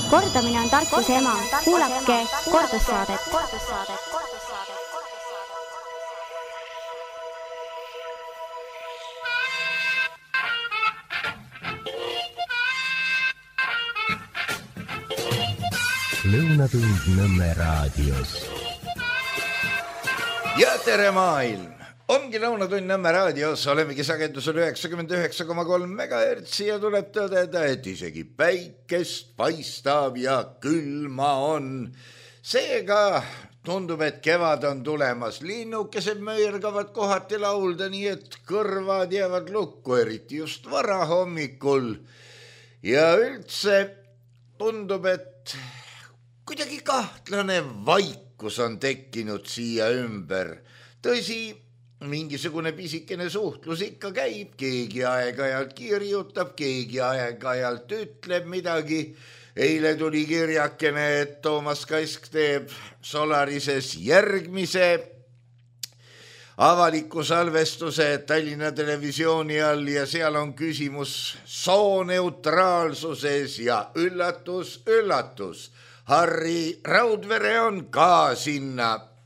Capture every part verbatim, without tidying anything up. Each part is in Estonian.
Kordamine on tarkuse ema. Kuulake kordussaadet. Lõunatund Nõmme raadios. Ja tere maailm! Ongi Lõunatund Nõmme raadios, olemegi sagedusel üheksakümmend üheksa koma kolm megahertsi ja tuleb tõdeda, et isegi päikest paistab ja külma on. Seega tundub, et kevad on tulemas. Linnukesed möirgavad kohati laulda, nii et kõrvad jäävad lukku, eriti just vara hommikul. Ja üldse tundub, et kuidagi kahtlane vaikus on tekkinud siia ümber. Tõsi, mingisugune pisikene suhtlus ikka käib, keegi aeg-ajalt kirjutab, keegi aeg-ajalt ütleb midagi. Eile tuli kirjakene, et Toomas Kask teeb Solarises järgmise avaliku salvestuse Tallinna Televisiooni all ja seal on küsimus sooneutraalsuses ja üllatus, üllatus. Harri Raudvere on ka sinna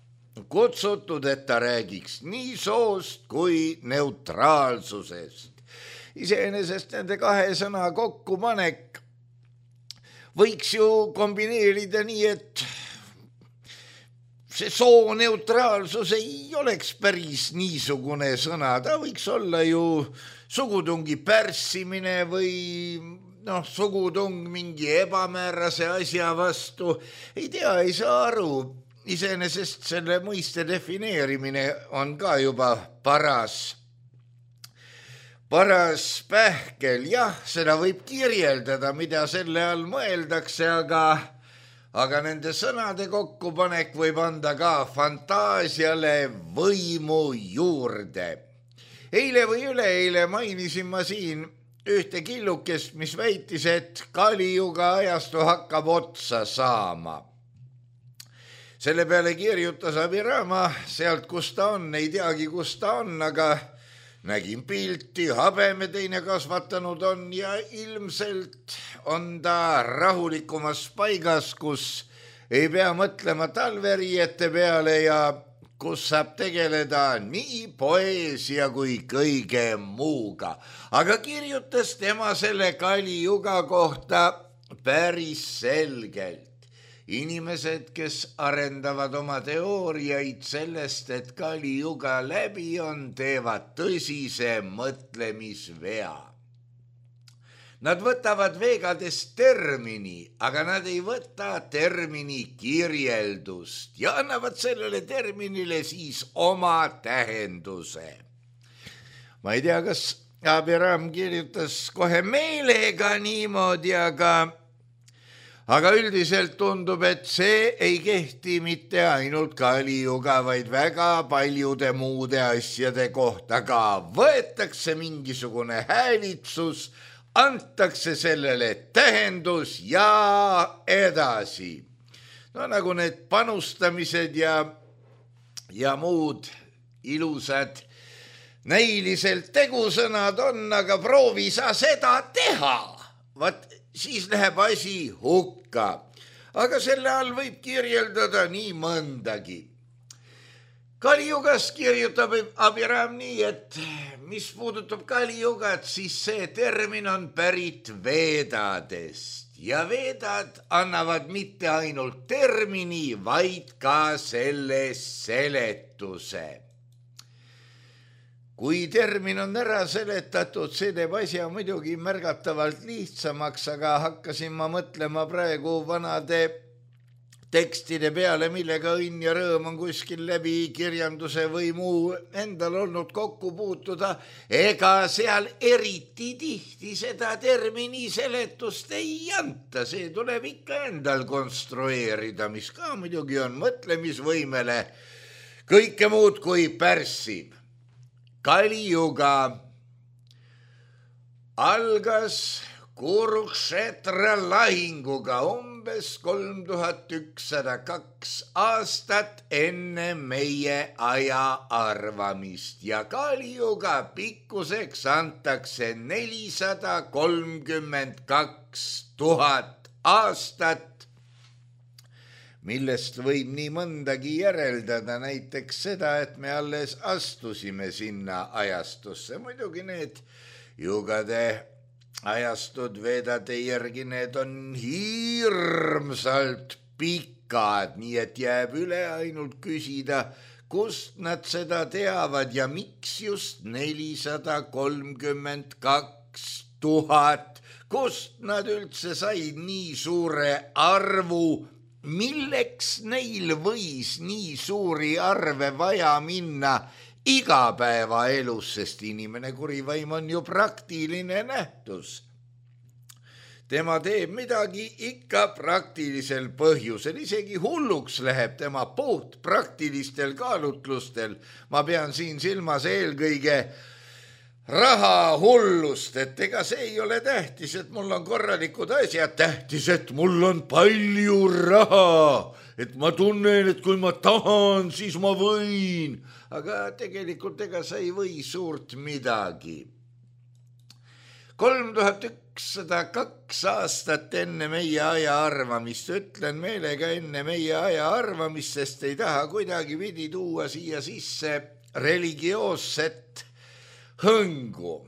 kutsutud, et ta räägiks nii soost kui neutraalsusest. Iseenesest nende kahe sõna kokkupanek võiks ju kombineerida nii, et see sooneutraalsus ei oleks päris niisugune sõna. Ta võiks olla ju sugutungi pärssimine või noh, sugutung mingi ebamäärase asja vastu. Ei tea, ei saa aru. Iseenesest selle mõiste defineerimine on ka juba paras, paras pähkel. Jah, seda võib kirjeldada, mida selle all mõeldakse, aga, aga nende sõnade kokkupanek võib anda ka fantaasiale võimu juurde. Eile või üleeile mainisin ma siin ühte killukest, mis väitis, et Kalijuga ajastu hakkab otsa saama. Selle peale kirjutas Abirama sealt, kus ta on, ei teagi, kus ta on, aga nägin pilti, habeme teine kasvatanud on ja ilmselt on ta rahulikumas paigas, kus ei pea mõtlema talveriiete peale ja kus saab tegeleda nii poeesia kui kõige muuga. Aga kirjutas tema selle Kalijuga kohta päris selgelt. Inimesed, kes arendavad oma teooriaid sellest, et Kalijuga läbi on, teevad tõsise mõtlemisvea. Nad võtavad veegades termini, aga nad ei võta termini kirjeldust ja annavad sellele terminile siis oma tähenduse. Ma ei tea, kas Abiram kirjutas kohe meelega niimoodi, aga, aga üldiselt tundub, et see ei kehti mitte ainult Kalijuga, vaid väga paljude muude asjade kohta ka. Võetakse mingisugune häälitsus, antakse sellele tähendus ja edasi. No nagu need panustamised ja, ja muud ilusad näiliselt tegusõnad on, aga proovi sa seda teha. Vaat siis läheb asi hukka. Aga selle all võib kirjeldada nii mõndagi. Kalijugast kirjutab Abiram nii, et mis puudutab Kalijugat, siis see termin on pärit veedadest. Ja veedad annavad mitte ainult termini, vaid ka selle seletuse. Kui termin on ära seletatud, see teeb asja muidugi märgatavalt lihtsamaks, aga hakkasin ma mõtlema praegu vanade tekstide peale, millega õnn ja rõõm on kuskil läbi kirjanduse või muu endal olnud kokku puutuda. Ega seal eriti tihti seda termini seletust ei anta. See tuleb ikka endal konstrueerida, mis ka muidugi on mõtlemisvõimele kõike muud kui pärssib. Kalijuga algas Kurukshetra lahinguga umbes kolm tuhat ükssada kaks aastat enne meie aja arvamist ja Kalijuga pikkuseks antakse nelisada kolmkümmend kaks tuhat aastat, millest võib nii mõndagi järeldada, näiteks seda, et me alles astusime sinna ajastusse. Muidugi need jugade ajastud vedade järgi, need on hirmsalt pikad, nii et jääb üle ainult küsida, kust nad seda teavad ja miks just nelisada kolmkümmend kaks tuhat, kust nad üldse said nii suure arvu, milleks neil võis nii suuri arve vaja minna igapäevaelus, sest inimene kurivaim on ju praktiline nähtus. Tema teeb midagi ikka praktilisel põhjusel, isegi hulluks läheb tema puht praktilistel kaalutlustel. Ma pean siin silmas eelkõige raha hullust, et ega see ei ole tähtis, et mul on korralikud asjad, tähtis, et mul on palju raha, et ma tunnen, et kui ma tahan, siis ma võin, aga tegelikult ega sa ei või suurt midagi. kolm tuhat ükssada kaks aastat enne meie aja arvamist, ütlen meelega enne meie aja arvamist, sest ei taha kuidagi pidi tuua siia sisse religioosset hõngu.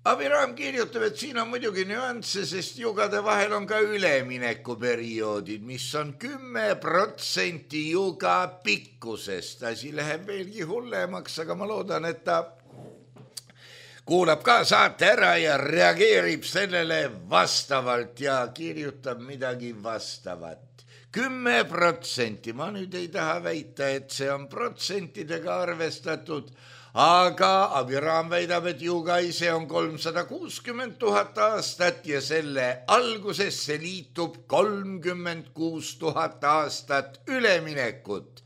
Abiram kirjutab, et siin on muidugi nüansse, sest jugade vahel on ka üleminekuperioodid, mis on kümme protsenti juga pikkusest. Asi läheb veelgi hullemaks, aga ma loodan, et ta kuulab ka saate ära ja reageerib sellele vastavalt ja kirjutab midagi vastavat. Kümme protsenti, ma nüüd ei taha väita, et see on protsentidega arvestatud, aga Abiram väidab, et juga ise on kolmsada kuuskümmend tuhat aastat ja selle algusesse liitub kolmkümmend kuus tuhat aastat üleminekut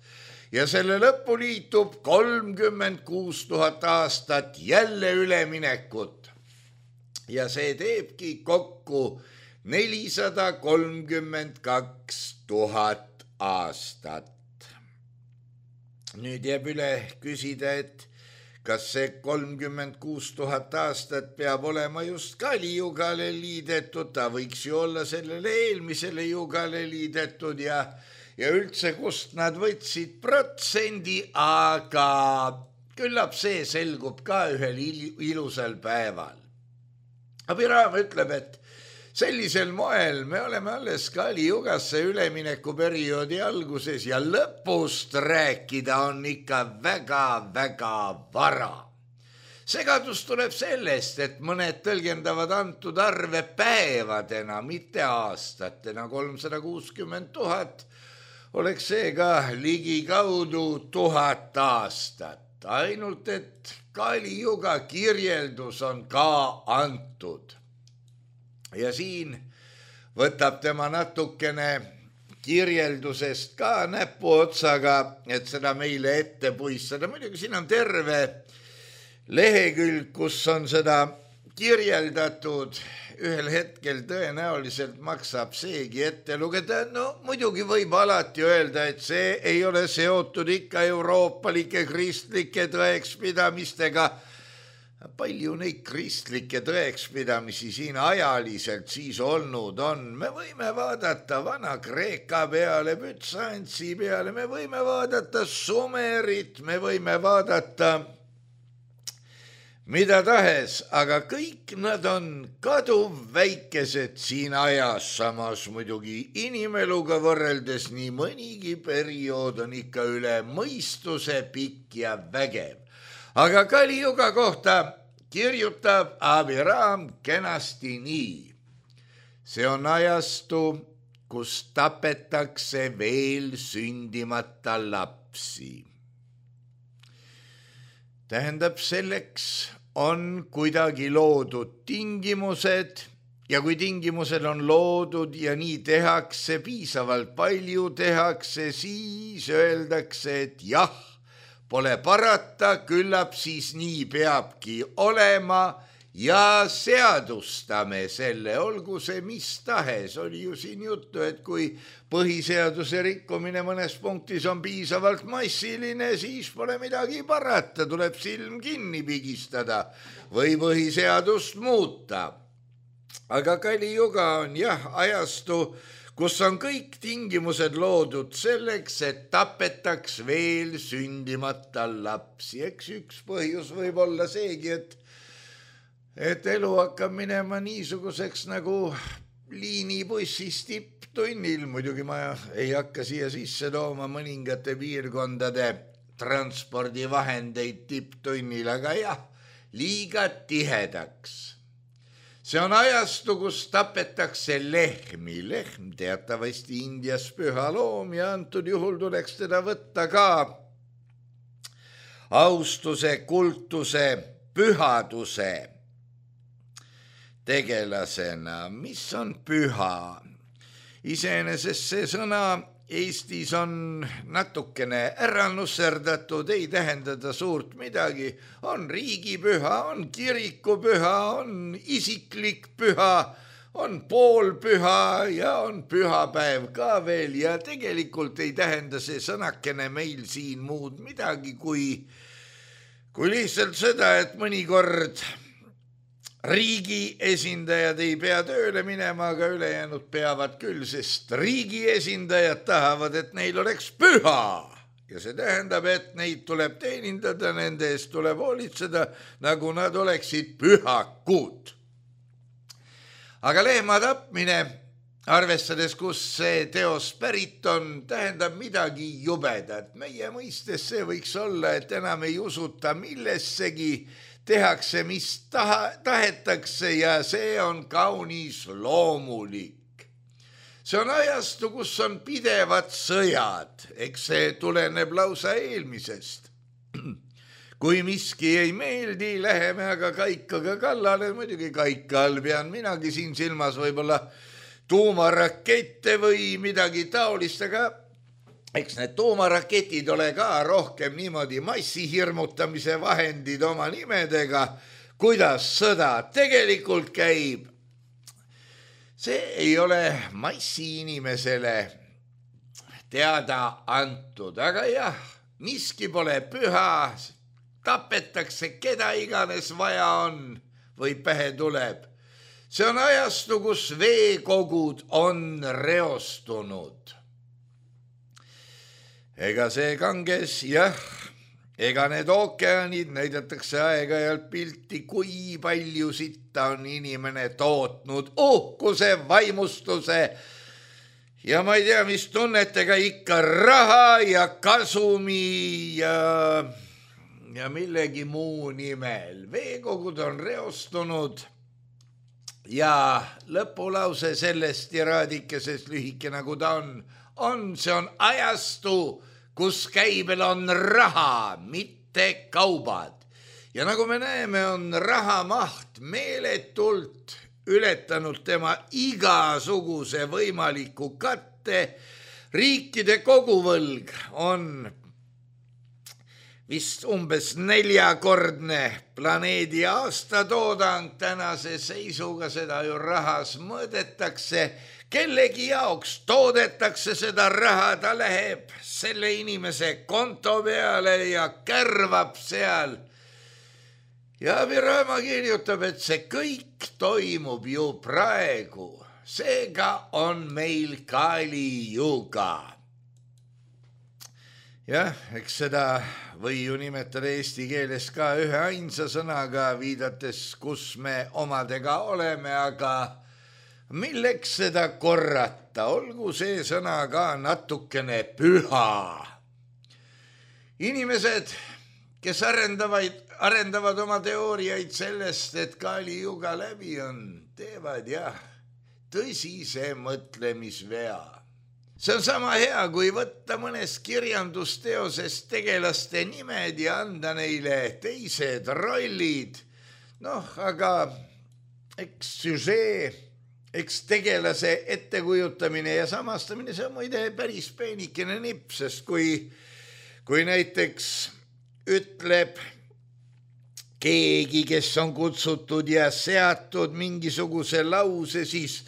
ja selle lõppu liitub kolmkümmend kuus tuhat aastat jälle üleminekut ja see teebki kokku nelisada kolmkümmend kaks tuhat aastat. Nüüd jääb üle küsida, et kas see kolmkümmend kuus tuhat aastat peab olema just kalijugale liidetud, ta võiks ju olla sellele eelmisele jugale liidetud ja, ja üldse kust nad võtsid protsendi, aga küllap see selgub ka ühel ilusal päeval. Abiram ütleb, et sellisel moel me oleme alles kalijugasse üleminekuperioodi alguses ja lõpust rääkida on ikka väga-väga vara. Segadus tuleb sellest, et mõned tõlgendavad antud arve päevadena, mitte aastatena. kolmsada kuuskümmend tuhat oleks seega ligikaudu tuhat aastat. Ainult, et kalijuga kirjeldus on ka antud. Ja siin võtab tema natukene kirjeldusest ka näpuotsaga, et seda meile ette puistada. Muidugi siin on terve lehekülg, kus on seda kirjeldatud. Ühel hetkel tõenäoliselt maksab seegi ette lugeda. No muidugi võib alati öelda, et see ei ole seotud ikka euroopalike kristlike tõekspidamistega. Palju neid kristlikke tõekspidamisi siin ajaliselt siis olnud on. Me võime vaadata Vana-Kreeka peale, Bütsansi peale, me võime vaadata Sumerit, me võime vaadata mida tahes, aga kõik nad on kaduv väikesed siin ajas, samas muidugi inimeluga võrreldes nii mõnigi periood on ikka üle mõistuse pikk ja vägev. Aga kalijuga kohta kirjutab Abiram kenasti nii. See on ajastu, kus tapetakse veel sündimata lapsi. Tähendab, selleks on kuidagi loodud tingimused ja kui tingimused on loodud ja nii tehakse, piisavalt palju tehakse, siis öeldakse, et jah, pole parata, küllap siis nii peabki olema ja seadustame selle, olgu see mis tahes. Oli ju siin juttu, et kui põhiseaduse rikkumine mõnes punktis on piisavalt massiline, siis pole midagi parata, tuleb silm kinni pigistada või põhiseadust muuta. aga Kali-Juga on jah ajastu, kus on kõik tingimused loodud selleks, et tapetaks veel sündimata lapsi. Eks üks põhjus võib olla seegi, et, et elu hakkab minema niisuguseks nagu liinibussis tipptunnil. Muidugi ma ei hakka siia sisse tooma mõningate piirkondade transpordivahendeid tipptunnil, aga jah, liiga tihedaks. See on ajastu, kus tapetakse lehmi. Lehm teatavasti Indias püha loom ja antud juhul tuleks teda võtta ka austuse, kultuse, pühaduse tegelasena. Mis on püha? Iseenesest see sõna Eestis on natukene ära nusserdatud, ei tähendada suurt midagi. On riigipüha, on kirikupüha, on isiklik püha, on poolpüha ja on pühapäev ka veel ja tegelikult ei tähenda see sõnakene meil siin muud midagi kui, kui lihtsalt seda, et mõnikord riigi esindajad ei pea tööle minema, aga ülejäänud peavad küll, sest riigi esindajad tahavad, et neil oleks püha. Ja see tähendab, et neid tuleb teenindada, nende eest tuleb hoolitseda, nagu nad oleksid pühakud. Aga lehma tapmine, arvestades, kus see teos pärit on, tähendab midagi jubedat. Meie mõistes see võiks olla, et enam ei usuta millessegi, tehakse, mis taha, tahetakse ja see on kaunis loomulik. See on ajastu, kus on pidevad sõjad, eks see tuleneb lausa eelmisest. Kui miski ei meeldi, läheme aga kaikaga kallale, muidugi kaika all pean minagi siin silmas võib-olla tuumarakette või midagi taolist, aga eks need tuumaraketid ole ka rohkem niimoodi massihirmutamise vahendid oma nimedega, kuidas sõda tegelikult käib. See ei ole massi inimesele teada antud, aga jah, miski pole püha, tapetakse keda iganes vaja on või pähe tuleb. See on ajastu, kus veekogud on reostunud. Ega see Ganges, jah, ega need ookeanid näidatakse aeg-ajalt pilti, kui palju sitta on inimene tootnud, uhkuse, vaimustuse ja ma ei tea, mis tunnetega ikka raha ja kasumi ja, ja millegi muu nimel. Veekogud on reostunud ja lõpulause sellest tiraadikesest lühike nagu ta on, on, see on ajastu, kus käibel on raha, mitte kaubad. Ja nagu me näeme, on raha maht meeletult ületanud tema igasuguse võimaliku katte. Riikide koguvõlg on vist umbes neljakordne planeedi aastatoodang. Tänase seisuga seda ju rahas mõõdetakse. Kellegi jaoks toodetakse seda raha, ta läheb selle inimese konto peale ja kärvab seal. Ja Abirama kirjutab, et see kõik toimub ju praegu. Seega on meil Kali-Juga. Jah, eks seda või ju nimetada eesti keeles ka ühe ainsa sõnaga, viidates, kus me omadega oleme, aga milleks seda korrata, olgu see sõna ka natukene püha. Inimesed, kes arendavad, arendavad oma teooriaid sellest, et Kali-Juga läbi on, teevad jah, tõsise mõtlemisvea. See on sama hea, kui võtta mõnes kirjandusteoses tegelaste nimed ja anda neile teised rollid. Noh, aga eks süžee, eks tegelase ettekujutamine ja samastamine, see on muide päris peenikene nipp, sest kui, kui näiteks ütleb keegi, kes on kutsutud ja seatud mingisuguse lause, siis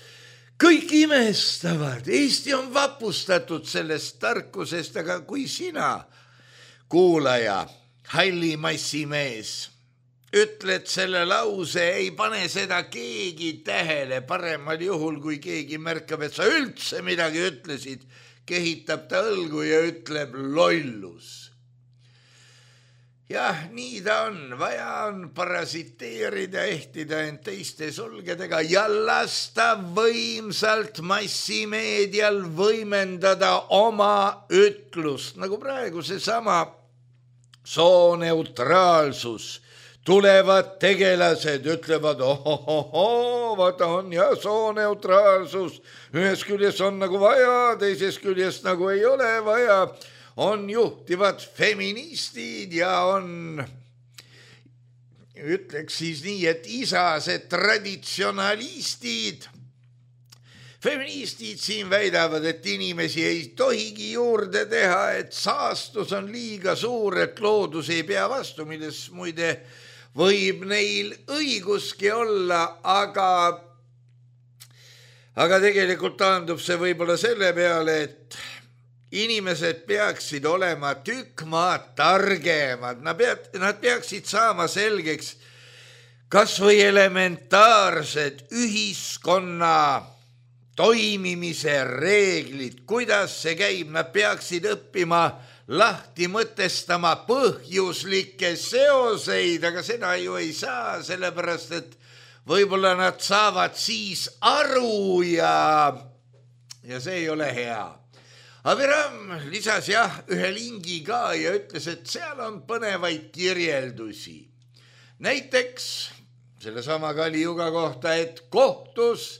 kõik imestavad. Eesti on vapustatud sellest tarkusest, aga kui sina, kuulaja, halli massimees, ütled selle lause, ei pane seda keegi tähele, paremal juhul, kui keegi märkab, et sa üldse midagi ütlesid, kehitab ta õlgu ja ütleb lollus. Jah, nii ta on, vaja on parasiteerida, ehtida end teiste sulgedega ja lasta võimsalt massimeedial võimendada oma ütlust, nagu praegu seesama sooneutraalsus. Tulevad tegelased, ütlevad, ohohoho, vaata on ja sooneutraalsus, ühes küljest on nagu vaja, teises küljest nagu ei ole vaja. On juhtivad feministid ja on, ütleks siis nii, et isased traditsionalistid. Feministid siin väidavad, et inimesi ei tohigi juurde teha, et saastus on liiga suur, et loodus ei pea vastu, milles muide võib neil õiguski olla, aga, aga tegelikult taandub see võib-olla selle peale, et inimesed peaksid olema tükk maad targemad, nad, pead, nad peaksid saama selgeks kas või elementaarsed ühiskonna toimimise reeglid, kuidas see käib, nad peaksid õppima lahti mõtestama põhjuslikke seoseid, aga seda ju ei saa, sellepärast et võib-olla nad saavad siis aru ja, ja see ei ole hea. Abiram lisas jah ühe lingi ka ja ütles, et seal on põnevaid kirjeldusi. Näiteks sellesama Kaliuga kohta, et kohtus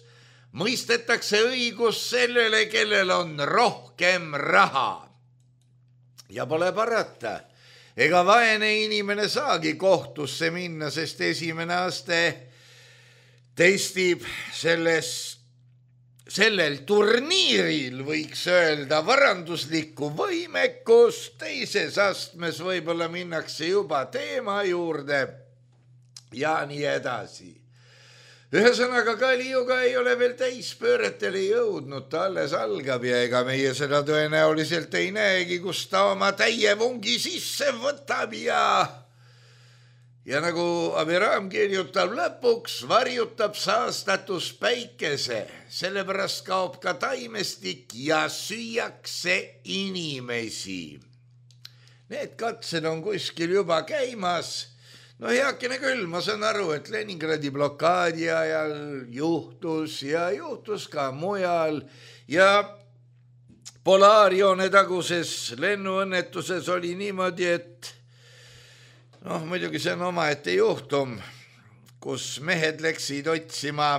mõistetakse õigus sellele, kellel on rohkem raha. Ja pole parata, ega vaene inimene saagi kohtusse minna, sest esimene aste testib selles Sellel turniiril võiks öelda varanduslikku võimekust, teises astmes võib-olla minnakse juba teema juurde ja nii edasi. Ühesõnaga Kaliuga ei ole veel täispööretele jõudnud, ta alles algab ja ega meie seda tõenäoliselt ei näegi, kus ta oma täie vungi sisse võtab ja... Ja nagu Abiram kirjutab lõpuks, varjutab saastatus päikese, sellepärast kaob ka taimestik ja süüakse inimesi. Need katsed on kuskil juba käimas. No heakene küll, ma saan aru, et Leningradi blokaadi ajal juhtus ja juhtus ka mujal ja Polaarjoone taguses lennuõnnetuses oli niimoodi, et noh, muidugi see on omaette juhtum, kus mehed läksid otsima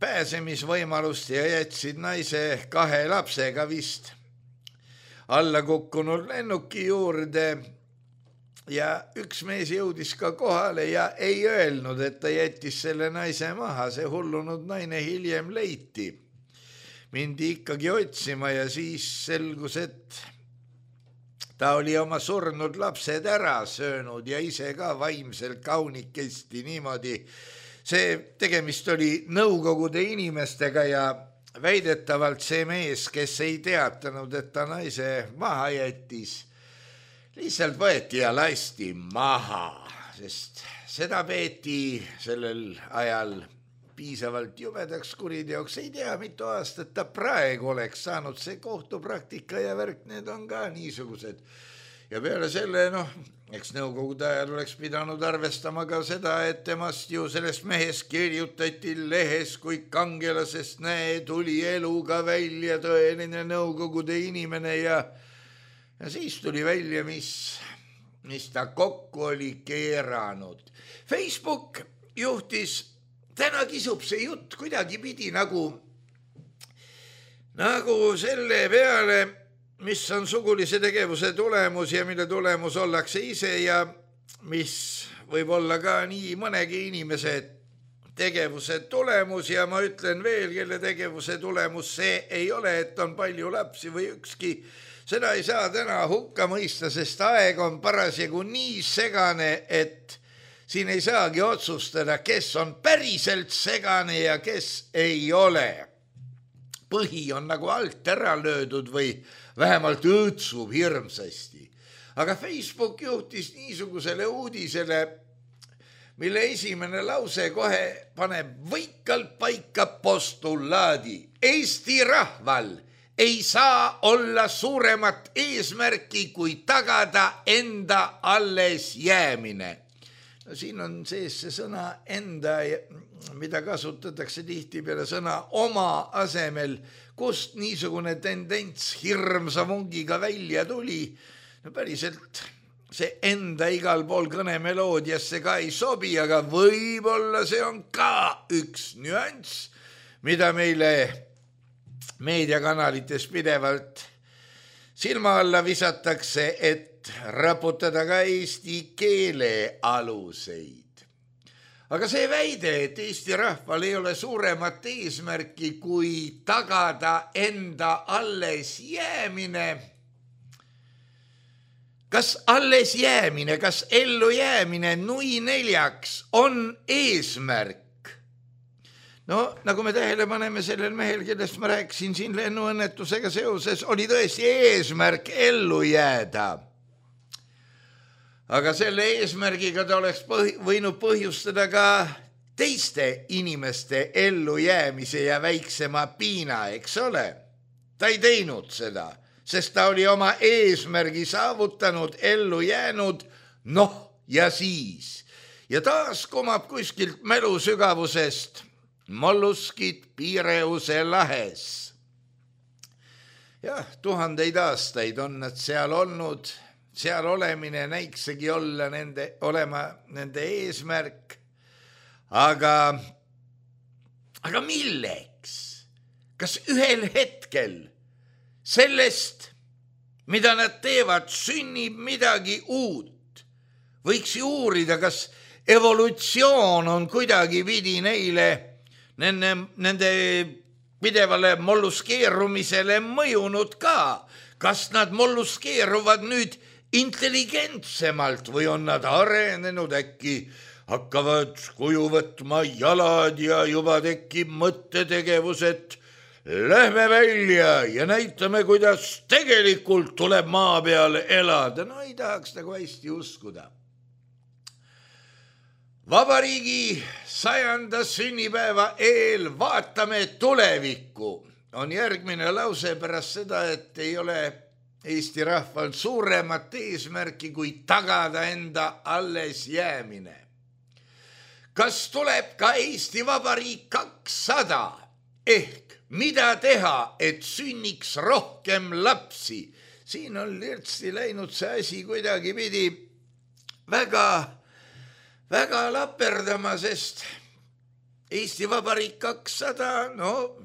pääsemisvõimalust ja jätsid naise kahe lapsega vist alla kukkunud lennuki juurde ja üks mees jõudis ka kohale ja ei öelnud, et ta jättis selle naise maha, see hullunud naine hiljem leiti. Mindi ikkagi otsima ja siis selgus, et ta oli oma surnud lapsed ära söönud ja ise ka vaimselt kaunikesti niimoodi. See tegemist oli Nõukogude inimestega ja väidetavalt see mees, kes ei teatanud, et ta naise maha jättis, lihtsalt võeti ja lasti maha, sest seda peeti sellel ajal piisavalt jubedaks kuriteoks, ei tea, mitu aastat ta praegu oleks saanud, see kohtupraktika ja värk, need on ka niisugused. Ja peale selle, noh, eks Nõukogude ajal oleks pidanud arvestama ka seda, et temast ju sellest mehest kirjutati lehes kui kangelasest, näe, tuli eluga välja tõeline Nõukogude inimene ja, ja siis tuli välja, mis, mis ta kokku oli keeranud. Facebook juhtis täna kisub see jutt kuidagi pidi nagu, nagu selle peale, mis on sugulise tegevuse tulemus ja mille tulemus ollakse ise ja mis võib olla ka nii mõnegi inimese tegevuse tulemus ja ma ütlen veel, kelle tegevuse tulemus see ei ole, et on palju lapsi või ükski. Seda ei saa täna hukka mõista, sest aeg on parasjagu nii segane, et siin ei saagi otsustada, kes on päriselt segane ja kes ei ole. Põhi on nagu alt ära löödud või vähemalt õõtsub hirmsasti. Aga Facebook juhtis niisugusele uudisele, mille esimene lause kohe paneb võikalt paika postulaadi. Eesti rahval ei saa olla suuremat eesmärki kui tagada enda alles jäämine. No, siin on sees see sõna enda, mida kasutatakse tihti peale sõna oma asemel, kust niisugune tendents hirmsa vungiga välja tuli. No päriselt see enda igal pool kõnemeloodiasse ka ei sobi, aga võib-olla see on ka üks nüanss, mida meile meediakanalites pidevalt silma alla visatakse, et raputada ka eesti keele aluseid. Aga see väide, et Eesti rahval ei ole suuremat eesmärki kui tagada enda alles jäämine, kas alles jäämine, kas ellu jäämine nui neljaks on eesmärk? No, nagu me tähele paneme sellel mehel, kellest ma rääkisin siin lennuõnnetusega seoses, oli tõesti eesmärk ellu jääda. Aga selle eesmärgiga ta oleks põh- võinud põhjustada ka teiste inimeste ellu jäämise ja väiksema piina, eks ole? Ta ei teinud seda, sest ta oli oma eesmärgi saavutanud, ellu jäänud, noh ja siis. Ja taas komab kuskilt mälu sügavusest molluskid Piireuse lahes. Jah, tuhandeid aastaid on nad seal olnud, seal olemine näiksegi olla nende, olema nende eesmärk, aga, aga milleks? Kas ühel hetkel sellest, mida nad teevad, sünnib midagi uut? Võiks ju uurida, kas evolutsioon on kuidagi pidi neile Nende, nende pidevale molluskeerumisele mõjunud ka. Kas nad molluskeeruvad nüüd intelligentsemalt või on nad arenenud, äkki hakkavad kuju võtma jalad ja juba tekib mõttetegevus, et lähme välja ja näitame, kuidas tegelikult tuleb maa peal elada. No ei tahaks nagu hästi uskuda. Vabariigi sajanda sünnipäeva eel vaatame tulevikku. On järgmine lause pärast seda, et ei ole Eesti rahval suuremat eesmärki kui tagada enda alles jäämine. Kas tuleb ka Eesti Vabariik kakssada ehk mida teha, et sünniks rohkem lapsi? Siin on lirtsi läinud see asi kuidagi pidi väga väga laperdama, sest Eesti Vabariik kakssada, no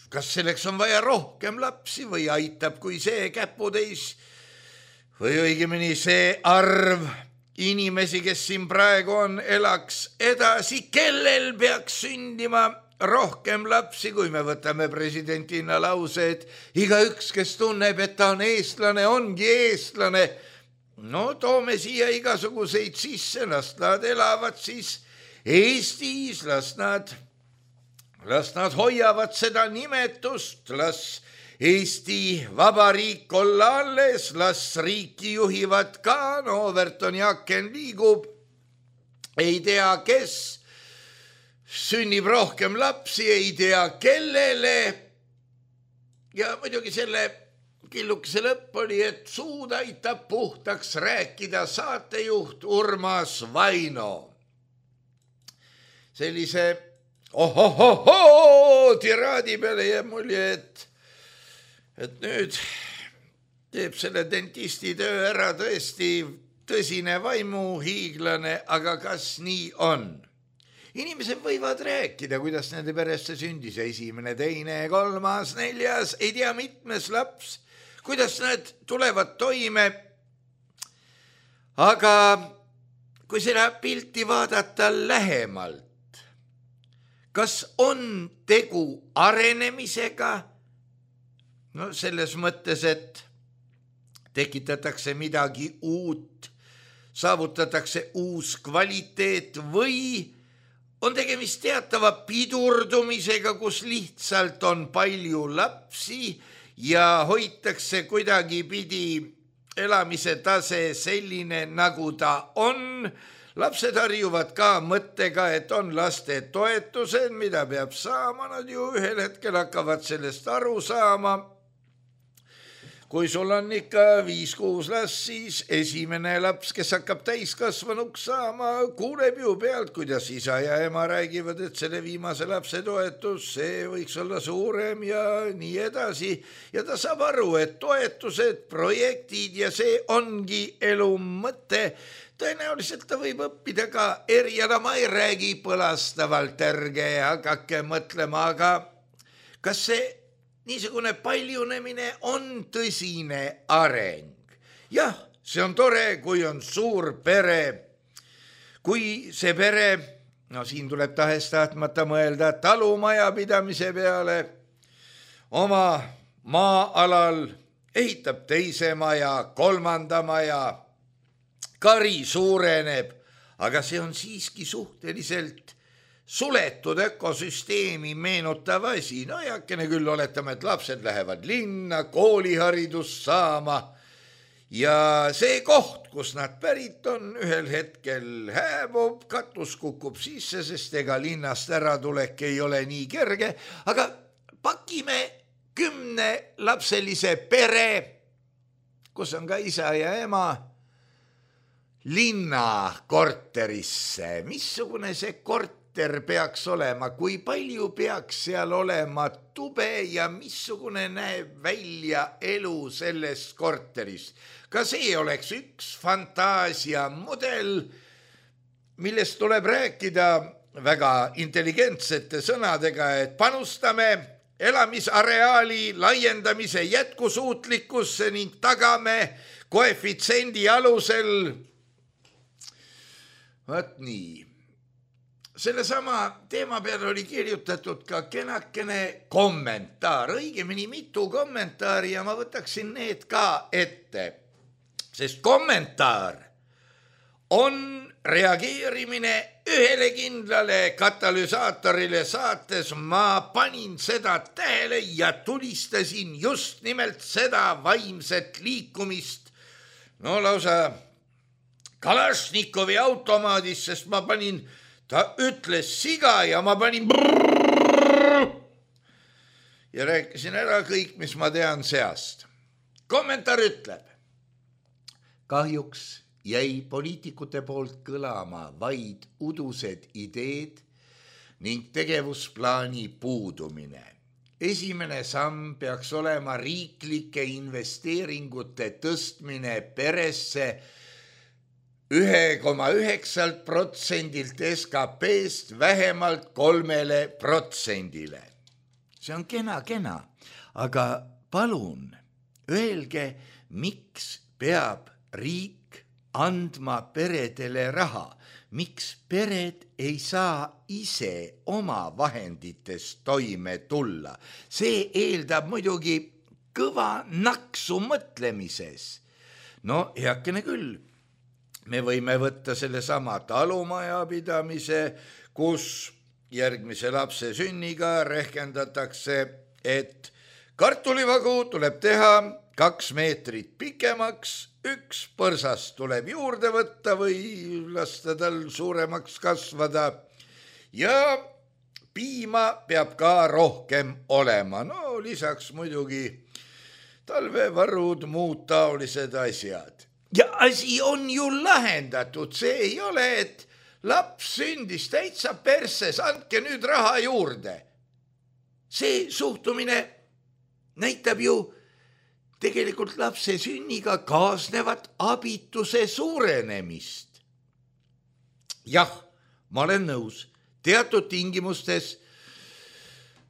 kas selleks on vaja rohkem lapsi või aitab, kui see käputäis või õigemini see arv inimesi, kes siin praegu on, elaks edasi, kellel peaks sündima rohkem lapsi, kui me võtame presidentina lause, et igaüks, kes tunneb, et ta on eestlane, ongi eestlane. No toome siia igasuguseid sisse, las nad elavad siis Eestis, las nad, las nad hoiavad seda nimetust, las Eesti Vabariik olla alles, las riiki juhivad ka, no Overton Jaaken liigub, ei tea, kes sünnib rohkem lapsi, ei tea, kellele. Ja muidugi selle killukese lõpp oli, et suud aitab puhtaks rääkida saatejuht Urmas Vaino. Sellise ohohoho tiraadi peale jääb mulje, et, et nüüd teeb selle dentisti töö ära tõesti tõsine vaimuhiiglane, aga kas nii on? Inimesed võivad rääkida, kuidas nende peresse sündis esimene, teine, kolmas, neljas, ei tea mitmes laps, kuidas nad tulevad toime. Aga kui seda pilti vaadata lähemalt, kas on tegu arenemisega? No selles mõttes, et tekitatakse midagi uut, saavutatakse uus kvaliteet või on tegemist teatava pidurdumisega, kus lihtsalt on palju lapsi ja hoitakse kuidagi pidi elamise tase selline, nagu ta on, lapsed harjuvad ka mõttega, et on laste toetused, mida peab saama, nad ju ühel hetkel hakkavad sellest aru saama. Kui sul on ikka viis-kuus last, siis esimene laps, kes hakkab täiskasvanuks saama, kuuleb ju pealt, kuidas isa ja ema räägivad, et selle viimase lapse toetus, see võiks olla suurem ja nii edasi. Ja ta saab aru, et toetused, projektid ja see ongi elu mõte. Tõenäoliselt ta võib õppida ka eriala, ma ei räägi põlastavalt, ärge hakake mõtlema, aga kas see niisugune paljunemine on tõsine areng? Jah, see on tore, kui on suur pere. Kui see pere, no siin tuleb tahes tahtmata mõelda talumajapidamise peale, oma maa-alal ehitab teise maja, kolmanda maja, kari suureneb, aga see on siiski suhteliselt suletud ökosüsteemi meenutav asi. No jakene küll oletame, et lapsed lähevad linna, kooliharidust saama ja see koht, kus nad pärit on, ühel hetkel hääbub, katus kukub sisse, sest ega linnast ära tulek ei ole nii kerge, aga pakime kümne lapselise pere, kus on ka isa ja ema, linna korterisse. Missugune see korter peaks olema, kui palju peaks seal olema tube ja missugune näeb välja elu selles korteris. Ka see oleks üks fantaasia mudel, millest tuleb rääkida väga intelligentsete sõnadega, et panustame elamisareaali laiendamise jätkusuutlikkusse ning tagame koefitsiendi alusel. Vaat nii. Selle sama teema peale oli kirjutatud ka kenakene kommentaar, õigemini mitu kommentaari ja ma võtaksin need ka ette, sest kommentaar on reageerimine ühele kindlale katalüsaatorile saates. Ma panin seda tähele ja tulistasin just nimelt seda vaimset liikumist, no lausa Kalašnikovi automaadis, sest ma panin ta ütles siga ja ma panin brrrr ja rääkisin ära kõik, mis ma tean seast. Kommentaar ütleb, kahjuks jäi poliitikute poolt kõlama vaid udused ideed ning tegevusplaani puudumine. Esimene samm peaks olema riiklike investeeringute tõstmine peresse ühe koma üheksa protsendilt S K P-st vähemalt kolmele protsendile. See on kena, kena, aga palun öelge, miks peab riik andma peredele raha, miks pered ei saa ise oma vahenditest toime tulla. See eeldab muidugi kõva naksu mõtlemises. No heakene küll. Me võime võtta selle sama talumajapidamise, kus järgmise lapse sünniga rehkendatakse, et kartulivagu tuleb teha kaks meetrit pikemaks, üks põrsas tuleb juurde võtta või lasta tal suuremaks kasvada ja piima peab ka rohkem olema. No lisaks muidugi talvevarud, muud taolised asjad. Ja asi on ju lahendatud, see ei ole, et laps sündis täitsa perses, andke nüüd raha juurde. See suhtumine näitab ju tegelikult lapse sünniga kaasnevat abituse suurenemist. Jah, ma olen nõus, teatud tingimustes,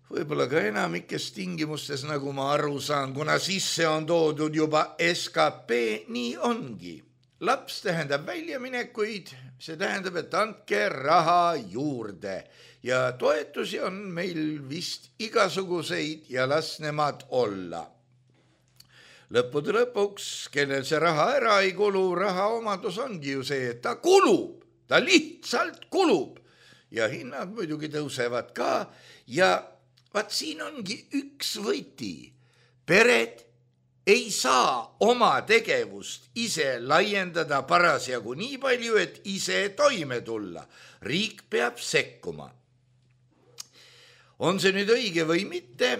võib-olla ka enamikes tingimustes, nagu ma aru saan, kuna sisse on toodud juba S K P, nii ongi. Laps tähendab väljaminekuid, see tähendab, et andke raha juurde ja toetusi on meil vist igasuguseid ja las nemad olla. Lõppude lõpuks, kellel see raha ära ei kulu, raha omadus ongi ju see, et ta kulub, ta lihtsalt kulub ja hinnad muidugi tõusevad ka ja vaat siin ongi üks võti. Pered ei saa oma tegevust ise laiendada parasjagu nii palju, et ise toime tulla. Riik peab sekkuma. On see nüüd õige või mitte?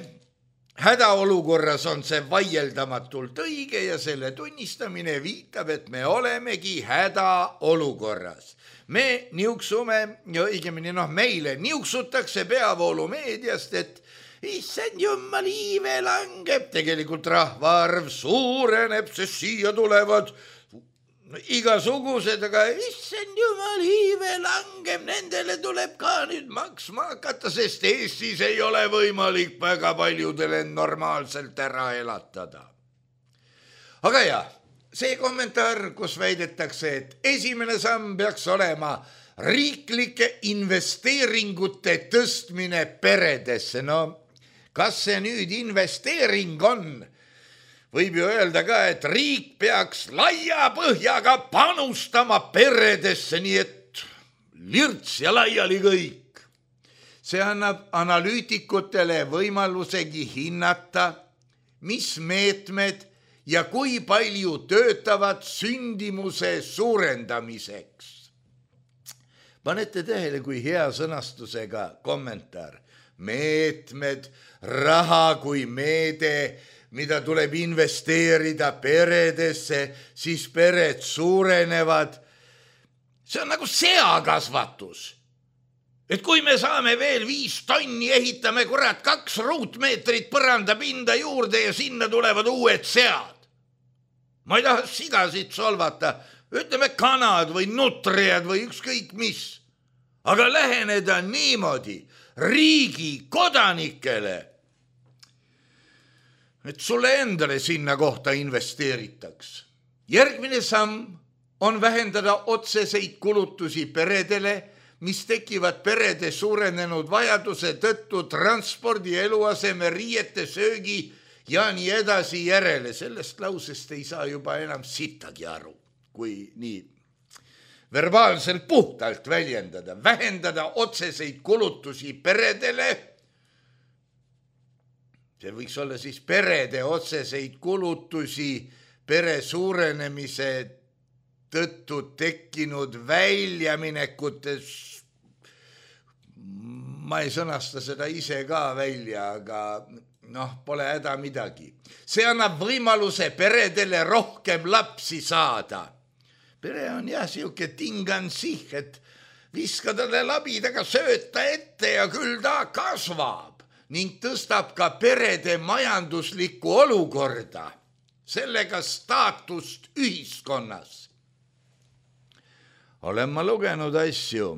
Hädaolukorras on see vaieldamatult õige ja selle tunnistamine viitab, et me olemegi hädaolukorras. Me niuksume, ja õigemini noh, meile niuksutakse peavoolumeediast, et issand jumal, iive langeb, tegelikult rahvaarv suureneb, sest siia tulevad igasugused, aga issand jumal, iive langeb, nendele tuleb ka nüüd maksma hakata, sest Eestis ei ole võimalik väga paljudele normaalselt ära elatada. Aga jah, see kommentaar, kus väidetakse, et esimene samm peaks olema riiklike investeeringute tõstmine peredesse, no kas see nüüd investeering on? Võib ju öelda ka, et riik peaks laia põhjaga panustama peredesse, nii et lirts ja laiali kõik. See annab analüütikutele võimalusegi hinnata, mis meetmed ja kui palju töötavad sündimuse suurendamiseks. Panete tähele, kui hea sõnastusega kommentaar. Meetmed, raha kui meede, mida tuleb investeerida peredesse, siis pered suurenevad. See on nagu seakasvatus. Et kui me saame veel viis tonni, ehitame kurat kaks ruutmeetrit põrandapinda juurde ja sinna tulevad uued sead. Ma ei taha sigasid solvata, ütleme kanad või nutriad või ükskõik mis. Aga läheneda niimoodi riigi kodanikele, et sulle endale sinna kohta investeeritaks. Järgmine samm on vähendada otseseid kulutusi peredele, mis tekivad perede suurenenud vajaduse tõttu transpordi, eluaseme, riiete, söögi ja nii edasi järele. Sellest lausest ei saa juba enam sittagi aru, kui nii verbaalselt puhtalt väljendada, vähendada otseseid kulutusi peredele. See võiks olla siis perede otseseid kulutusi pere suurenemise tõttu tekkinud väljaminekutes. Ma ei sõnasta seda ise ka välja, aga noh, pole häda midagi. See annab võimaluse peredele rohkem lapsi saada. Pere on jah siuke tingan sih, et viska talle labidaga sööta ette ja küll ta kasvab ning tõstab ka perede majanduslikku olukorda, sellega staatust ühiskonnas. Olen ma lugenud asju,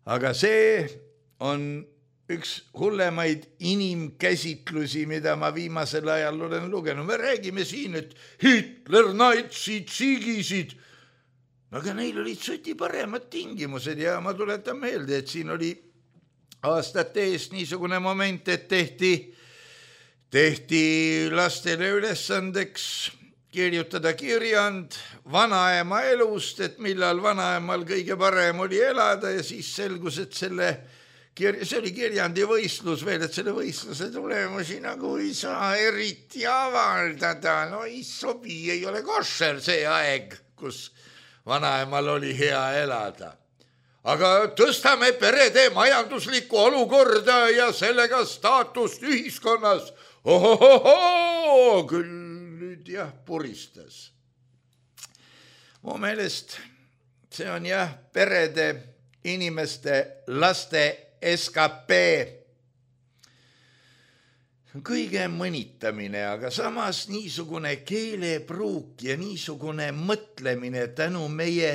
aga see on üks hullemaid inimkäsitlusi, mida ma viimasel ajal olen lugenud. Me räägime siin, et Hitler, natsid, sigisid, aga neil olid suti paremad tingimused ja ma tuletan meelde, et siin oli aastate eest niisugune moment, et tehti, tehti lastele ülesandeks kirjutada kirjand vanaema elust, et millal vanaemal kõige parem oli elada ja siis selgus, et selle see oli kirjandi võistlus veel, et selle võistluse tulemusi nagu ei saa eriti avaldada. No ei sobi, ei ole košer see aeg, kus vanaemal oli hea elada. Aga tõstame perede majanduslikku olukorda ja sellega staatust ühiskonnas. Ohohoho, küll nüüd jah puristas. Mu meelest see on jah perede, inimeste, laste S K P kõige mõnitamine, aga samas niisugune keelepruuk ja niisugune mõtlemine tänu meie,